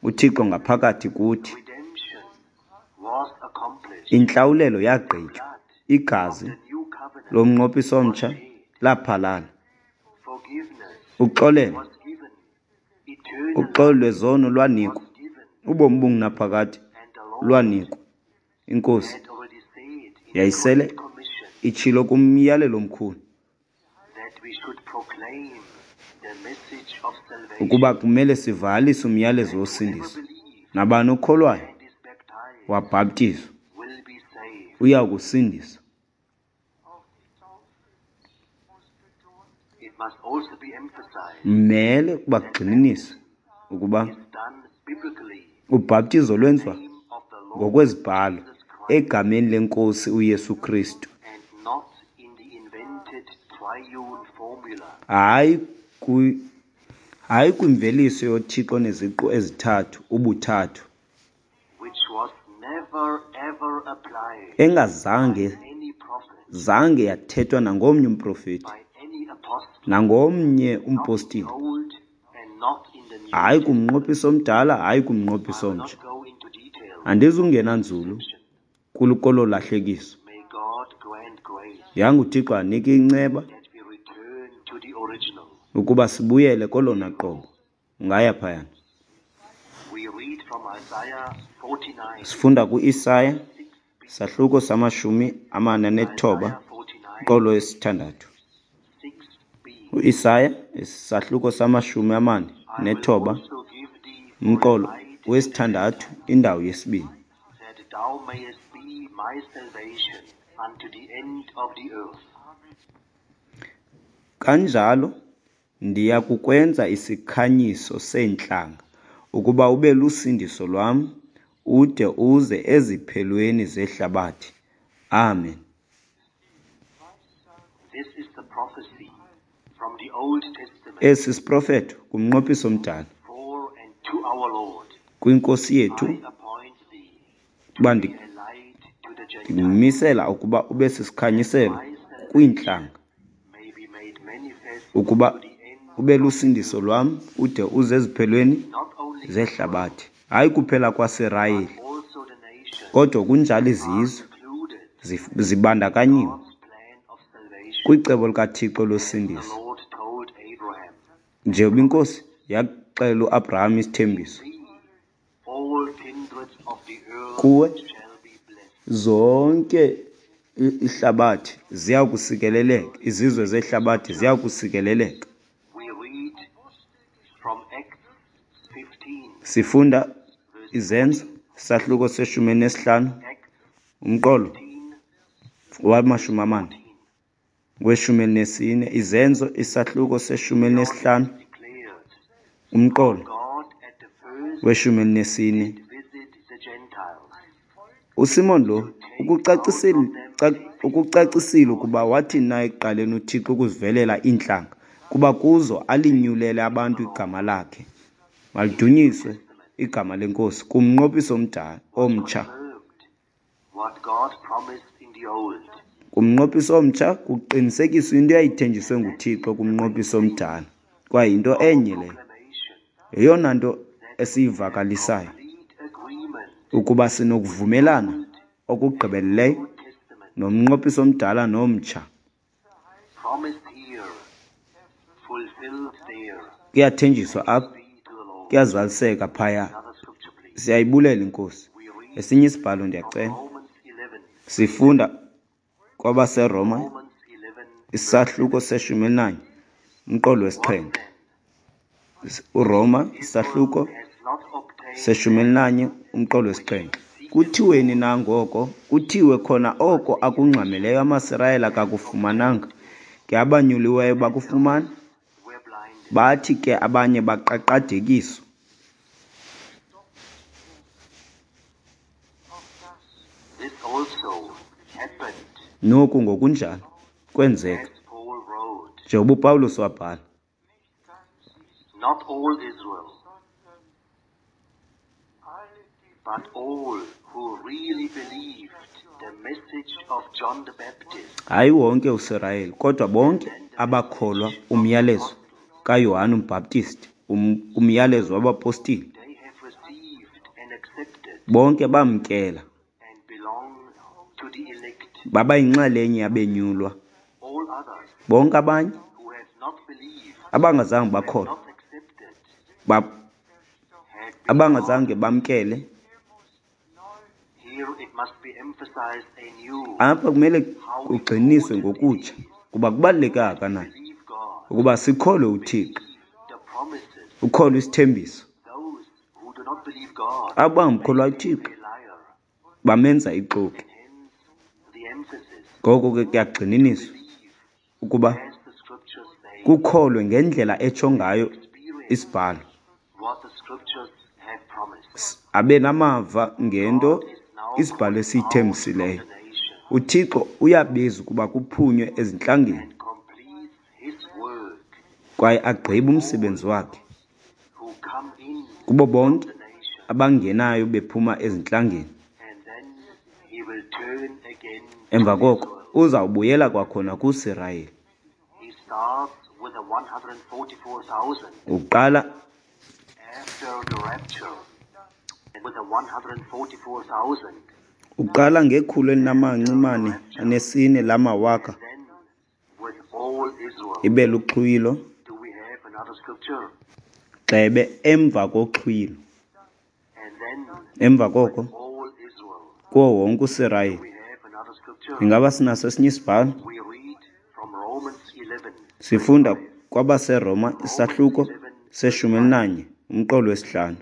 uThixo ngaphakathi kuthi. Intlawulelo yagqitywa, igazi lomnqophiso omtsha laphalala. Uxolelo, uxolo lwezono lwanikwa, ubomi obungunaphakade lwanikwa. INkosi yayisele itshilo kumyalelo omkhulu ukuba kumele sivalise umyalezo wosindiso. Nabani okholwayo wabhaptizwa uya kusindiswa. Mele ukuba kugxininiswe ukuba ubhaptizo lwenziwa ngokwezibhalo egameni leNkosi uYesu Kristu, hayi kwi hayi kwimveliso yoThixo neziqu ezithathu, ubuthathu, engazange zange yathethwa nangomnye umprofeti, nangomnye umpostile, hayi kumnqophiso omdala, hayi kumnqophiso omtsha. Andizungena nzulu kolo lahlekiso. Yanga uThixo anike inceba ukuba sibuyele kolona qobo. Ungaya phayana. Sifunda ku-Isaya sahluko samashumi amane anethoba qolo esithandathu. U-Isaya isahluko samashumi amane nethoba umqolo wesithandathu indawo yesibini. Kanjalo ndiya kukwenza isikhanyiso seentlanga, ukuba ube lusindiso lwam ude uze eziphelweni zehlabathi. Amen. Esi siprofeto kumnqophiso omdala kwiNkosi yethu uba ndikumisela ukuba ube sisikhanyiselo kwiintlanga, ukuba ube lusindiso lwam ude uze eziphelweni zehlabathi. Hayi kuphela kwaSirayeli, kodwa kunjalo izizwe zibandakanyiwe kwicebo likaThixo losindiso. Njengoba iNkosi yaxelela uAbraham isithembiso, kuwe zonke ihlabathi ziya kusikeleleka, izizwe zehlabathi ziya kusikeleleka. Sifunda Izenzo sahluko seshumi elinesihlanu umqolo wamashumi amane weshumi elinesine. Izenzo isahluko seshumi elinesihlanu umqolo weshumi elinesine. USimon lo ukucacisile ukucacisile ukuba wathi na ekuqaleni uThixo ukuzivelela iintlanga, kuba kuzo alinyulele abantu igama lakhe. Malidunyiswe igama leNkosi kumnqophiso omdala omtsha. Kumnqophiso omtsha kuqinisekiswa into eyayithenjiswe nguThixo kumnqophiso omdala, kwaye yinto enye leyo. Yeyona nto esiyivakalisayo ukuba sinokuvumelana okugqibeleleyo nomnqophiso omdala nomtsha. Kuyathenjiswa apha, kuyazaliseka phaya. Siyayibulela iNkosi. Esinye isibhalo ndiyacela. Sifunda kwabaseRoma isahluko seshumi elinanye umqolo wesixhenxe. uRoma isahluko Has not obtained seshumi elinanye umqolo wesixhenxe. Kuthiweni na ngoko? Kuthiwe khona oko akungxameleyo amaSirayeli akakufumananga, ke abanyuliweyo bakufumana. were blinded. Bathi ke abanye baqaqadekiswa. Auch das This also happened, Noku ngokunjalo kwenzeka, as Paul wrote. njengoba uPawulos wabhala. nicht ganz Israel, Not all Israel, sondern alle, die but all who really believed the message of John the Baptist Hayi wonke uSirayeli, kodwa bonke abakholwa umyalezo kaYohane uMbhaptizi, um, umyalezo wabapostile, they have received and accepted bonke bamkela, and belong to the elect. baba yinxalenye yabenyulwa. All others Bonke abanye who have not believed, abangazange have bakholwa, not accepted, ba, had been abangazange bamkele. hier muss neu Here it must be emphasized anew Apha kumele kugxiniswe ngokutsha kuba kubaluleke kangakanani believe God, ukuba sikholwe uThixo, believe the promises. ukholwe isithembiso. Those who do not believe God Abo bangamkholwayo make uThixo him a liar, bamenza ixoki. and hence the emphasis Ngoko ke kuyagxininiswa believe ukuba as the scriptures say, kukholwe ngendlela etsho ngayo experience isibhalo, what the scriptures have promised. abe namava ngento God is now isibhalo calling out from esiyithembisileyo. the nation UThixo uyabiza ukuba kuphunywe ezintlangeni and completes his work kwaye agqibe umsebenzi wakhe who come in kubo bonke the nation, abangenayo bephuma ezintlangeni. and then he will turn again to Emva koko Israel. uzawubuyela kwakhona kuSirayeli. He starts with the one hundred forty-four thousand Uqala after the rapture, and with the one hundred forty-four thousand, uqala ngekhulu elinamanci mane anesine lamawaka then with all Israel. ibe luxhwilo Do we have another scripture? gxebe emva koxhwilo. And then Emva koko all Israel. kuwo wonke uSirayeli. We have another scripture. Ingaba sinaso esinye isibhalo? We read from Romans eleven. Sifunda kwabaseRoma isahluko seshumi elinanye umqolo wesihlanu.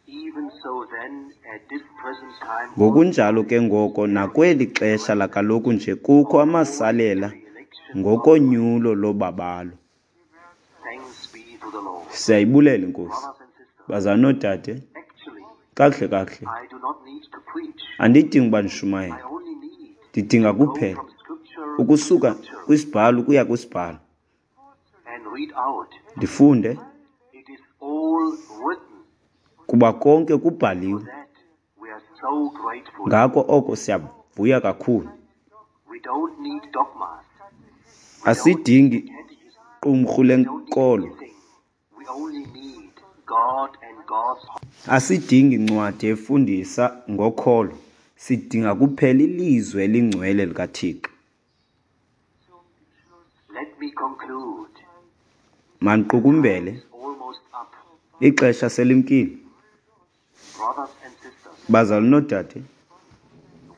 Even so then, at this present time, Ngokunjalo ke ngoko nakweli xesha lakaloku nje kukho amasalela the election, ngokonyulo lobabalo. thanks be to the Lord. Siyayibulela iNkosi. Brothers and sisters, Bazalwane noodade, actually, kakuhle kakuhle I do not need to preach. andidingi uba ndishumayele, I only need ndidinga to go kuphela from scripture to ukusuka scripture kwisibhalo ukuya kwisibhalo, and read out. ndifunde It is all written. kuba konke kubhaliwe. That we are so grateful. Ngako oko siyavuya kakhulu. We don't need dogmas. We don't Asidingi need catechism. qumrhu We don't need lenkolo, anything. We only need God and God's asidingi ncwadi efundisa ngokholo, sidinga kuphela ilizwi elingcwele likaThixo. zum Schluss Let me conclude. Mandiqukumbele, It's almost up. ixesha selimkile. Brothers and sisters, Bazalwane noodade,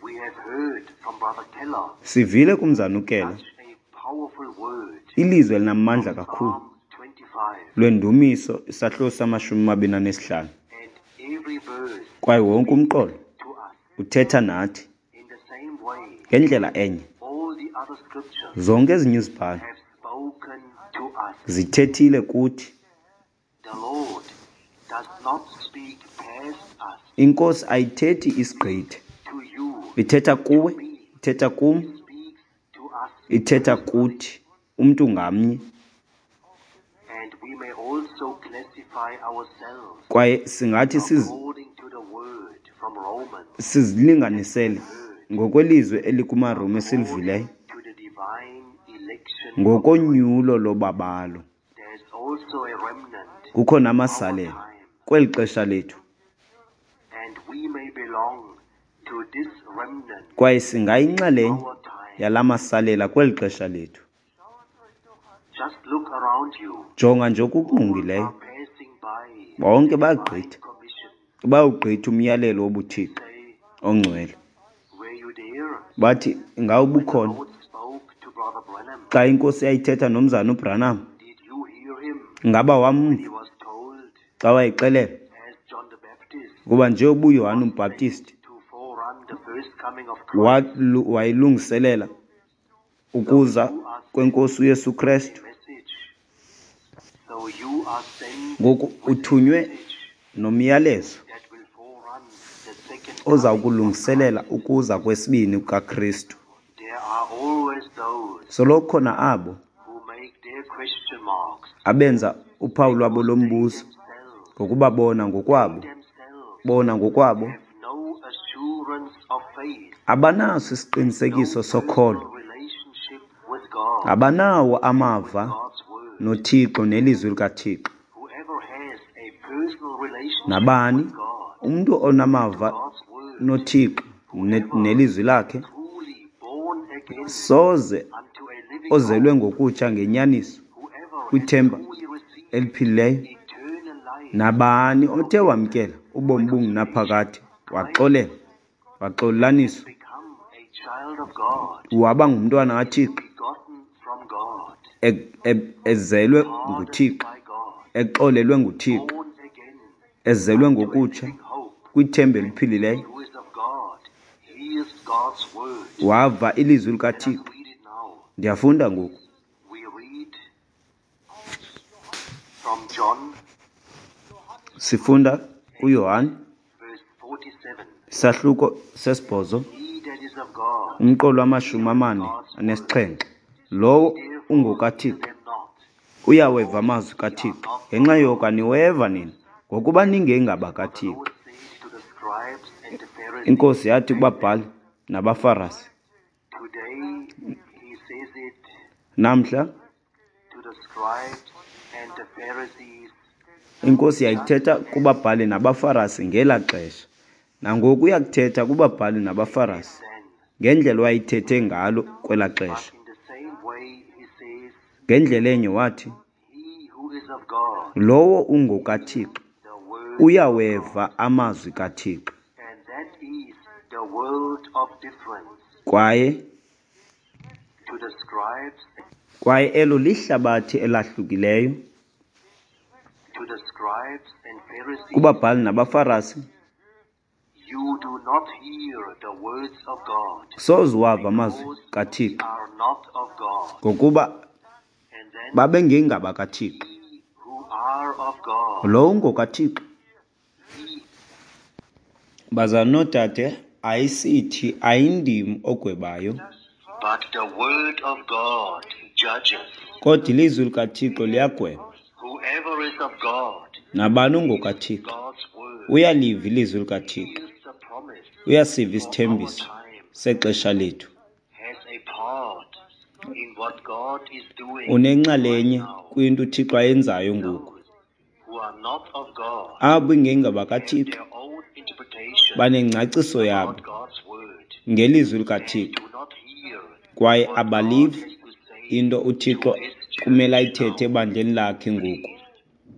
we have heard from Brother Keller sivile kumzana uKela such a powerful word. ilizwi elinamandla kakhulu Psalm twenty-five lwendumiso isahluko samashumi amabini anesihlanu, and every verse kwaye wonke umqolo to us uthetha nathi in the same way. ngendlela enye. All the other scriptures Zonke ezinye izibhalo have spoken to us. zithethile kuthi. The Lord does not speak past us INkosi ayithethi isigqithe, to you. ithetha kuwe, ithetha kum, Speaks to us ithetha kuthi umntu ngamnye. and we may also classify ourselves Kwaye singathi sizi according to the word from Romans sizilinganisele ngokwelizwi elikumaRoma esilivileyo to the divine election. ngokonyulo lobabalo. There's also a remnant Kukho namasalela kweli xesha lethu, and we may belong to this remnant kwaye singayinxalenye our time. yala masalela kweli xesha lethu. Just look around you. Jonga nje All okukungqongileyo, are passing by bonke the divine bayagqitha, commission. bayawugqitha umyalelo wobuThixo Say, ongcwele. were you there Bathi ingawe when the ubukhona Lord spoke to Brother Branham? xa iNkosi yayithetha nomzana uBranham? Did you hear him? Ngaba when wamva he was told, xa wayexelelwa as John the Baptist ukuba nje ubuYohane umbhaptisti to forerun the first coming of Christ, walu- wayilungiselela ukuza kwenkosi uYesu Krestu? message. So you are sent Ngoku with a uthunywe message nomyalezo that will forerun the second oza coming of kulungiselela Christ. ukuza kwesibini kukaKristu. There are always those Soloko khona abo who make their question marks abenza uphawu lwabo because they lombuzo themselves, ngokuba bona they ngokwabo themselves bona ngokwabo have no assurance of faith, abanaso no isiqinisekiso personal sokholo, relationship with God abanawo and with amava God's word. noThixo nelizwi likaThixo. Whoever has a personal relationship Nabani with God umntu and onamava God's word, noThixo ne- whoever nelizwi lakhe truly born again soze unto a living ozelwe hope, ngokutsha ngenyaniso whoever has kwithemba truly received eliphilileyo, eternal life nabani othe forgiveness, wamkela ubomi bungunaphakade, reconciliation, waxolela, Christ, waxolelaniswa, become a child of God, waba ngumntwana is kaThixo, begotten from God, e- e- ezelwe pardoned nguThixo, by God, exolelwe nguThixo, born again ezelwe unto a ngokutsha living hope. kwithemba eliphilileyo, He who is of God hears God's word. wava ilizwi Let us likaThixo. read it now. Ndiyafunda ngoku. We read from John Sifunda kuYohane verse forty-seven. isahluko sesibhozo He that is of God umqolo wamashumi heareth amane God's word. anesixhenxe. Lowo Therefore hear ungokaThixo them not, uyaweva because amazwi ye are kaThixo. not of Ngenxa God. yoko aniweva nina, ngokuba For the ningengabakaThixo. Lord said to the scribes and the Pharisees Inkosi yathi back then, kubabhali nabaFarasi, today he says it namhla to the scribes and the Pharisees inkosi just yayithetha as kubabhali nabaFarasi ngelaa xesha. Nangoku uyakuthetha kubabhali he did nabaFarasi then. ngendlela wayithethe ngalo kwelaa But xesha. in the same way he says, Ngendlela enye wathi, he who is of God lowo hears ungokaThixo the word of uyaweva God. amazwi kaThixo. And that is the world of difference Kwaye to the scribes kwaye elo lihlabathi elahlukileyo to the scribes and Pharisees. kubabhali nabaFarasi. You do not hear the words of God Soze wava amazwi because ye kaThixo are not of God. ngokuba And then babengengabakaThixo. ye who are of God, Lowo ungokaThixo, he bazalwana noodade, ayisithi ayindim ogwebayo, but the word of God judges. kodwa ilizwi likaThixo liyagweba. Whoever is of God Nabani hears ungokaThixo God's word, uyaliva ilizwi likaThixo, hears the promise uyasiva for our isithembiso time, sexesha lethu, has a part in what God is doing right unenxalenye now. kwinto uThixo ayenzayo ngoku. Those who are not of God Abo have ingengabakaThixo their own interpretation banengcaciso yabo about God's word ngelizwi and likaThixo do not hear kwaye what God abalivi has to say into to uThixo his kumele church ayithethe now. ebandleni lakhe ngoku. Please,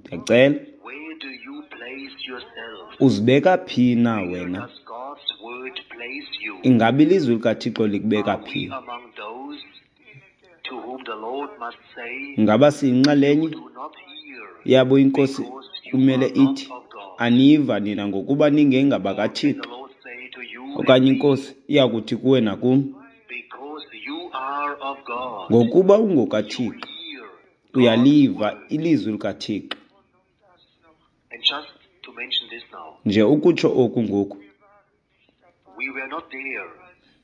Ndiyacela, where do you place yourself? uzibeka phi na Where wena? does God's word place you? Ingaba ilizwi likaThixo likubeka Are we phi? among those to whom the Lord must say, Ngaba You siyinxalenye do not hear yabo inkosi because you kumele are not ithi, of God? aniva nina ngokuba Or can the ningengabakaThixo? Lord say to you and Okanye me, inkosi iyakuthi kuwe nakum, Because you are of God, ngokuba you ungokaThixo hear God's uyaliva word? ilizwi likaThixo. And just to mention this now, Nje ukutsho oku ngoku, we were not there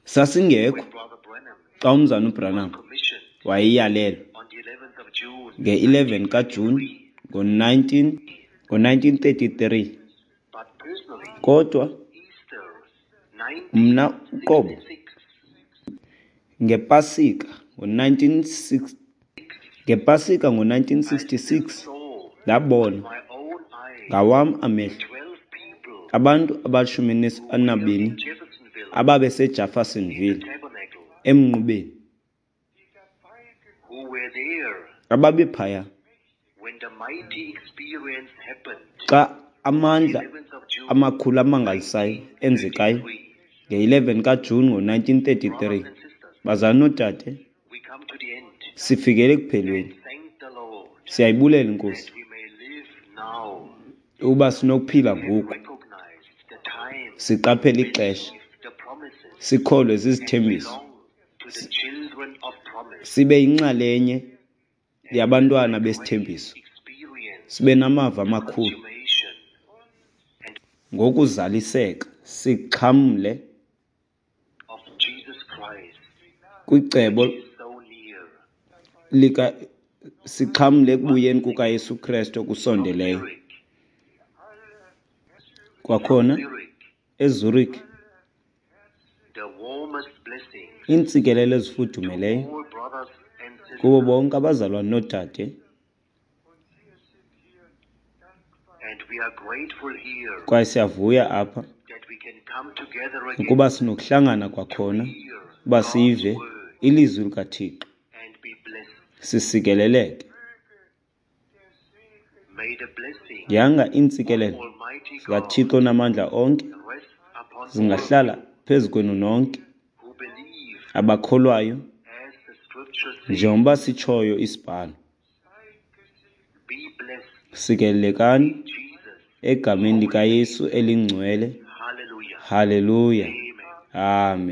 sasingekho when Brother Branham xa umzana was uBranham commissioned wayeyalelwa on the eleventh of June nge-eleven kaJuni ngo-nineteen ngo-nineteen thirty-three. But personally, Kodwa Easter mna uqobo nineteen sixty-six ngePasika ngo-nineteen six ngePasika ngo-nineteen I still sixty-six saw with ndabona my own eyes ngawam amehlo twelve people abantu abashumi who were anabini in Jeffersonville in the ababeseJeffersonville tabernacle, emnqubeni, who were there ababephaya when the mighty experience happened xa on the amandla eleventh of June amakhulu amangalisayo enzekayo nineteen thirty-three. nge-eleven kaJuni ngo-nineteen thirty-three. Brothers and sisters, Bazalwana noodade, we come to the end sifikele ekuphelweni. and thank the Lord Siyayibulela iNkosi that we may live now uba sinokuphila and ngoku, recognize the time, siqaphele ixesha, believe the promises, sikholwe and zizithembiso, belong to the children of promise, sibe yinxalenye yabantwana great besithembiso, experience sibe namava amakhulu consummation and ngokuzaliseka, sixhamle of Jesus Christ, kwicebo which is so near. lika sixhamle ekubuyeni kukaYesu Kristu From okusondeleyo. Zurich, from Kwakhona Zurich, eZurich, the warmest blessings iintsikelelo to ezifudumeleyo all brothers and kubo sisters, bonke abazalwane noodade, and we are grateful here kwaye siyavuya apha that we can come together again ukuba sinokuhlangana to kwakhona hear uba God's sive word ilizwi likaThixo, and be blessed. sisikeleleke. May the blessing Yanga of iintsikelelo Almighty God zikaThixo namandla onke rest upon all of zingahlala you phezu kwenu nonke who believe, abakholwayo, as the scripture says, njengoba sitshoyo isibhalo. be blessed Sikelelekani in Jesus' egameni holy name. likaYesu elingcwele. Hallelujah. Haleluya, Amen. amen.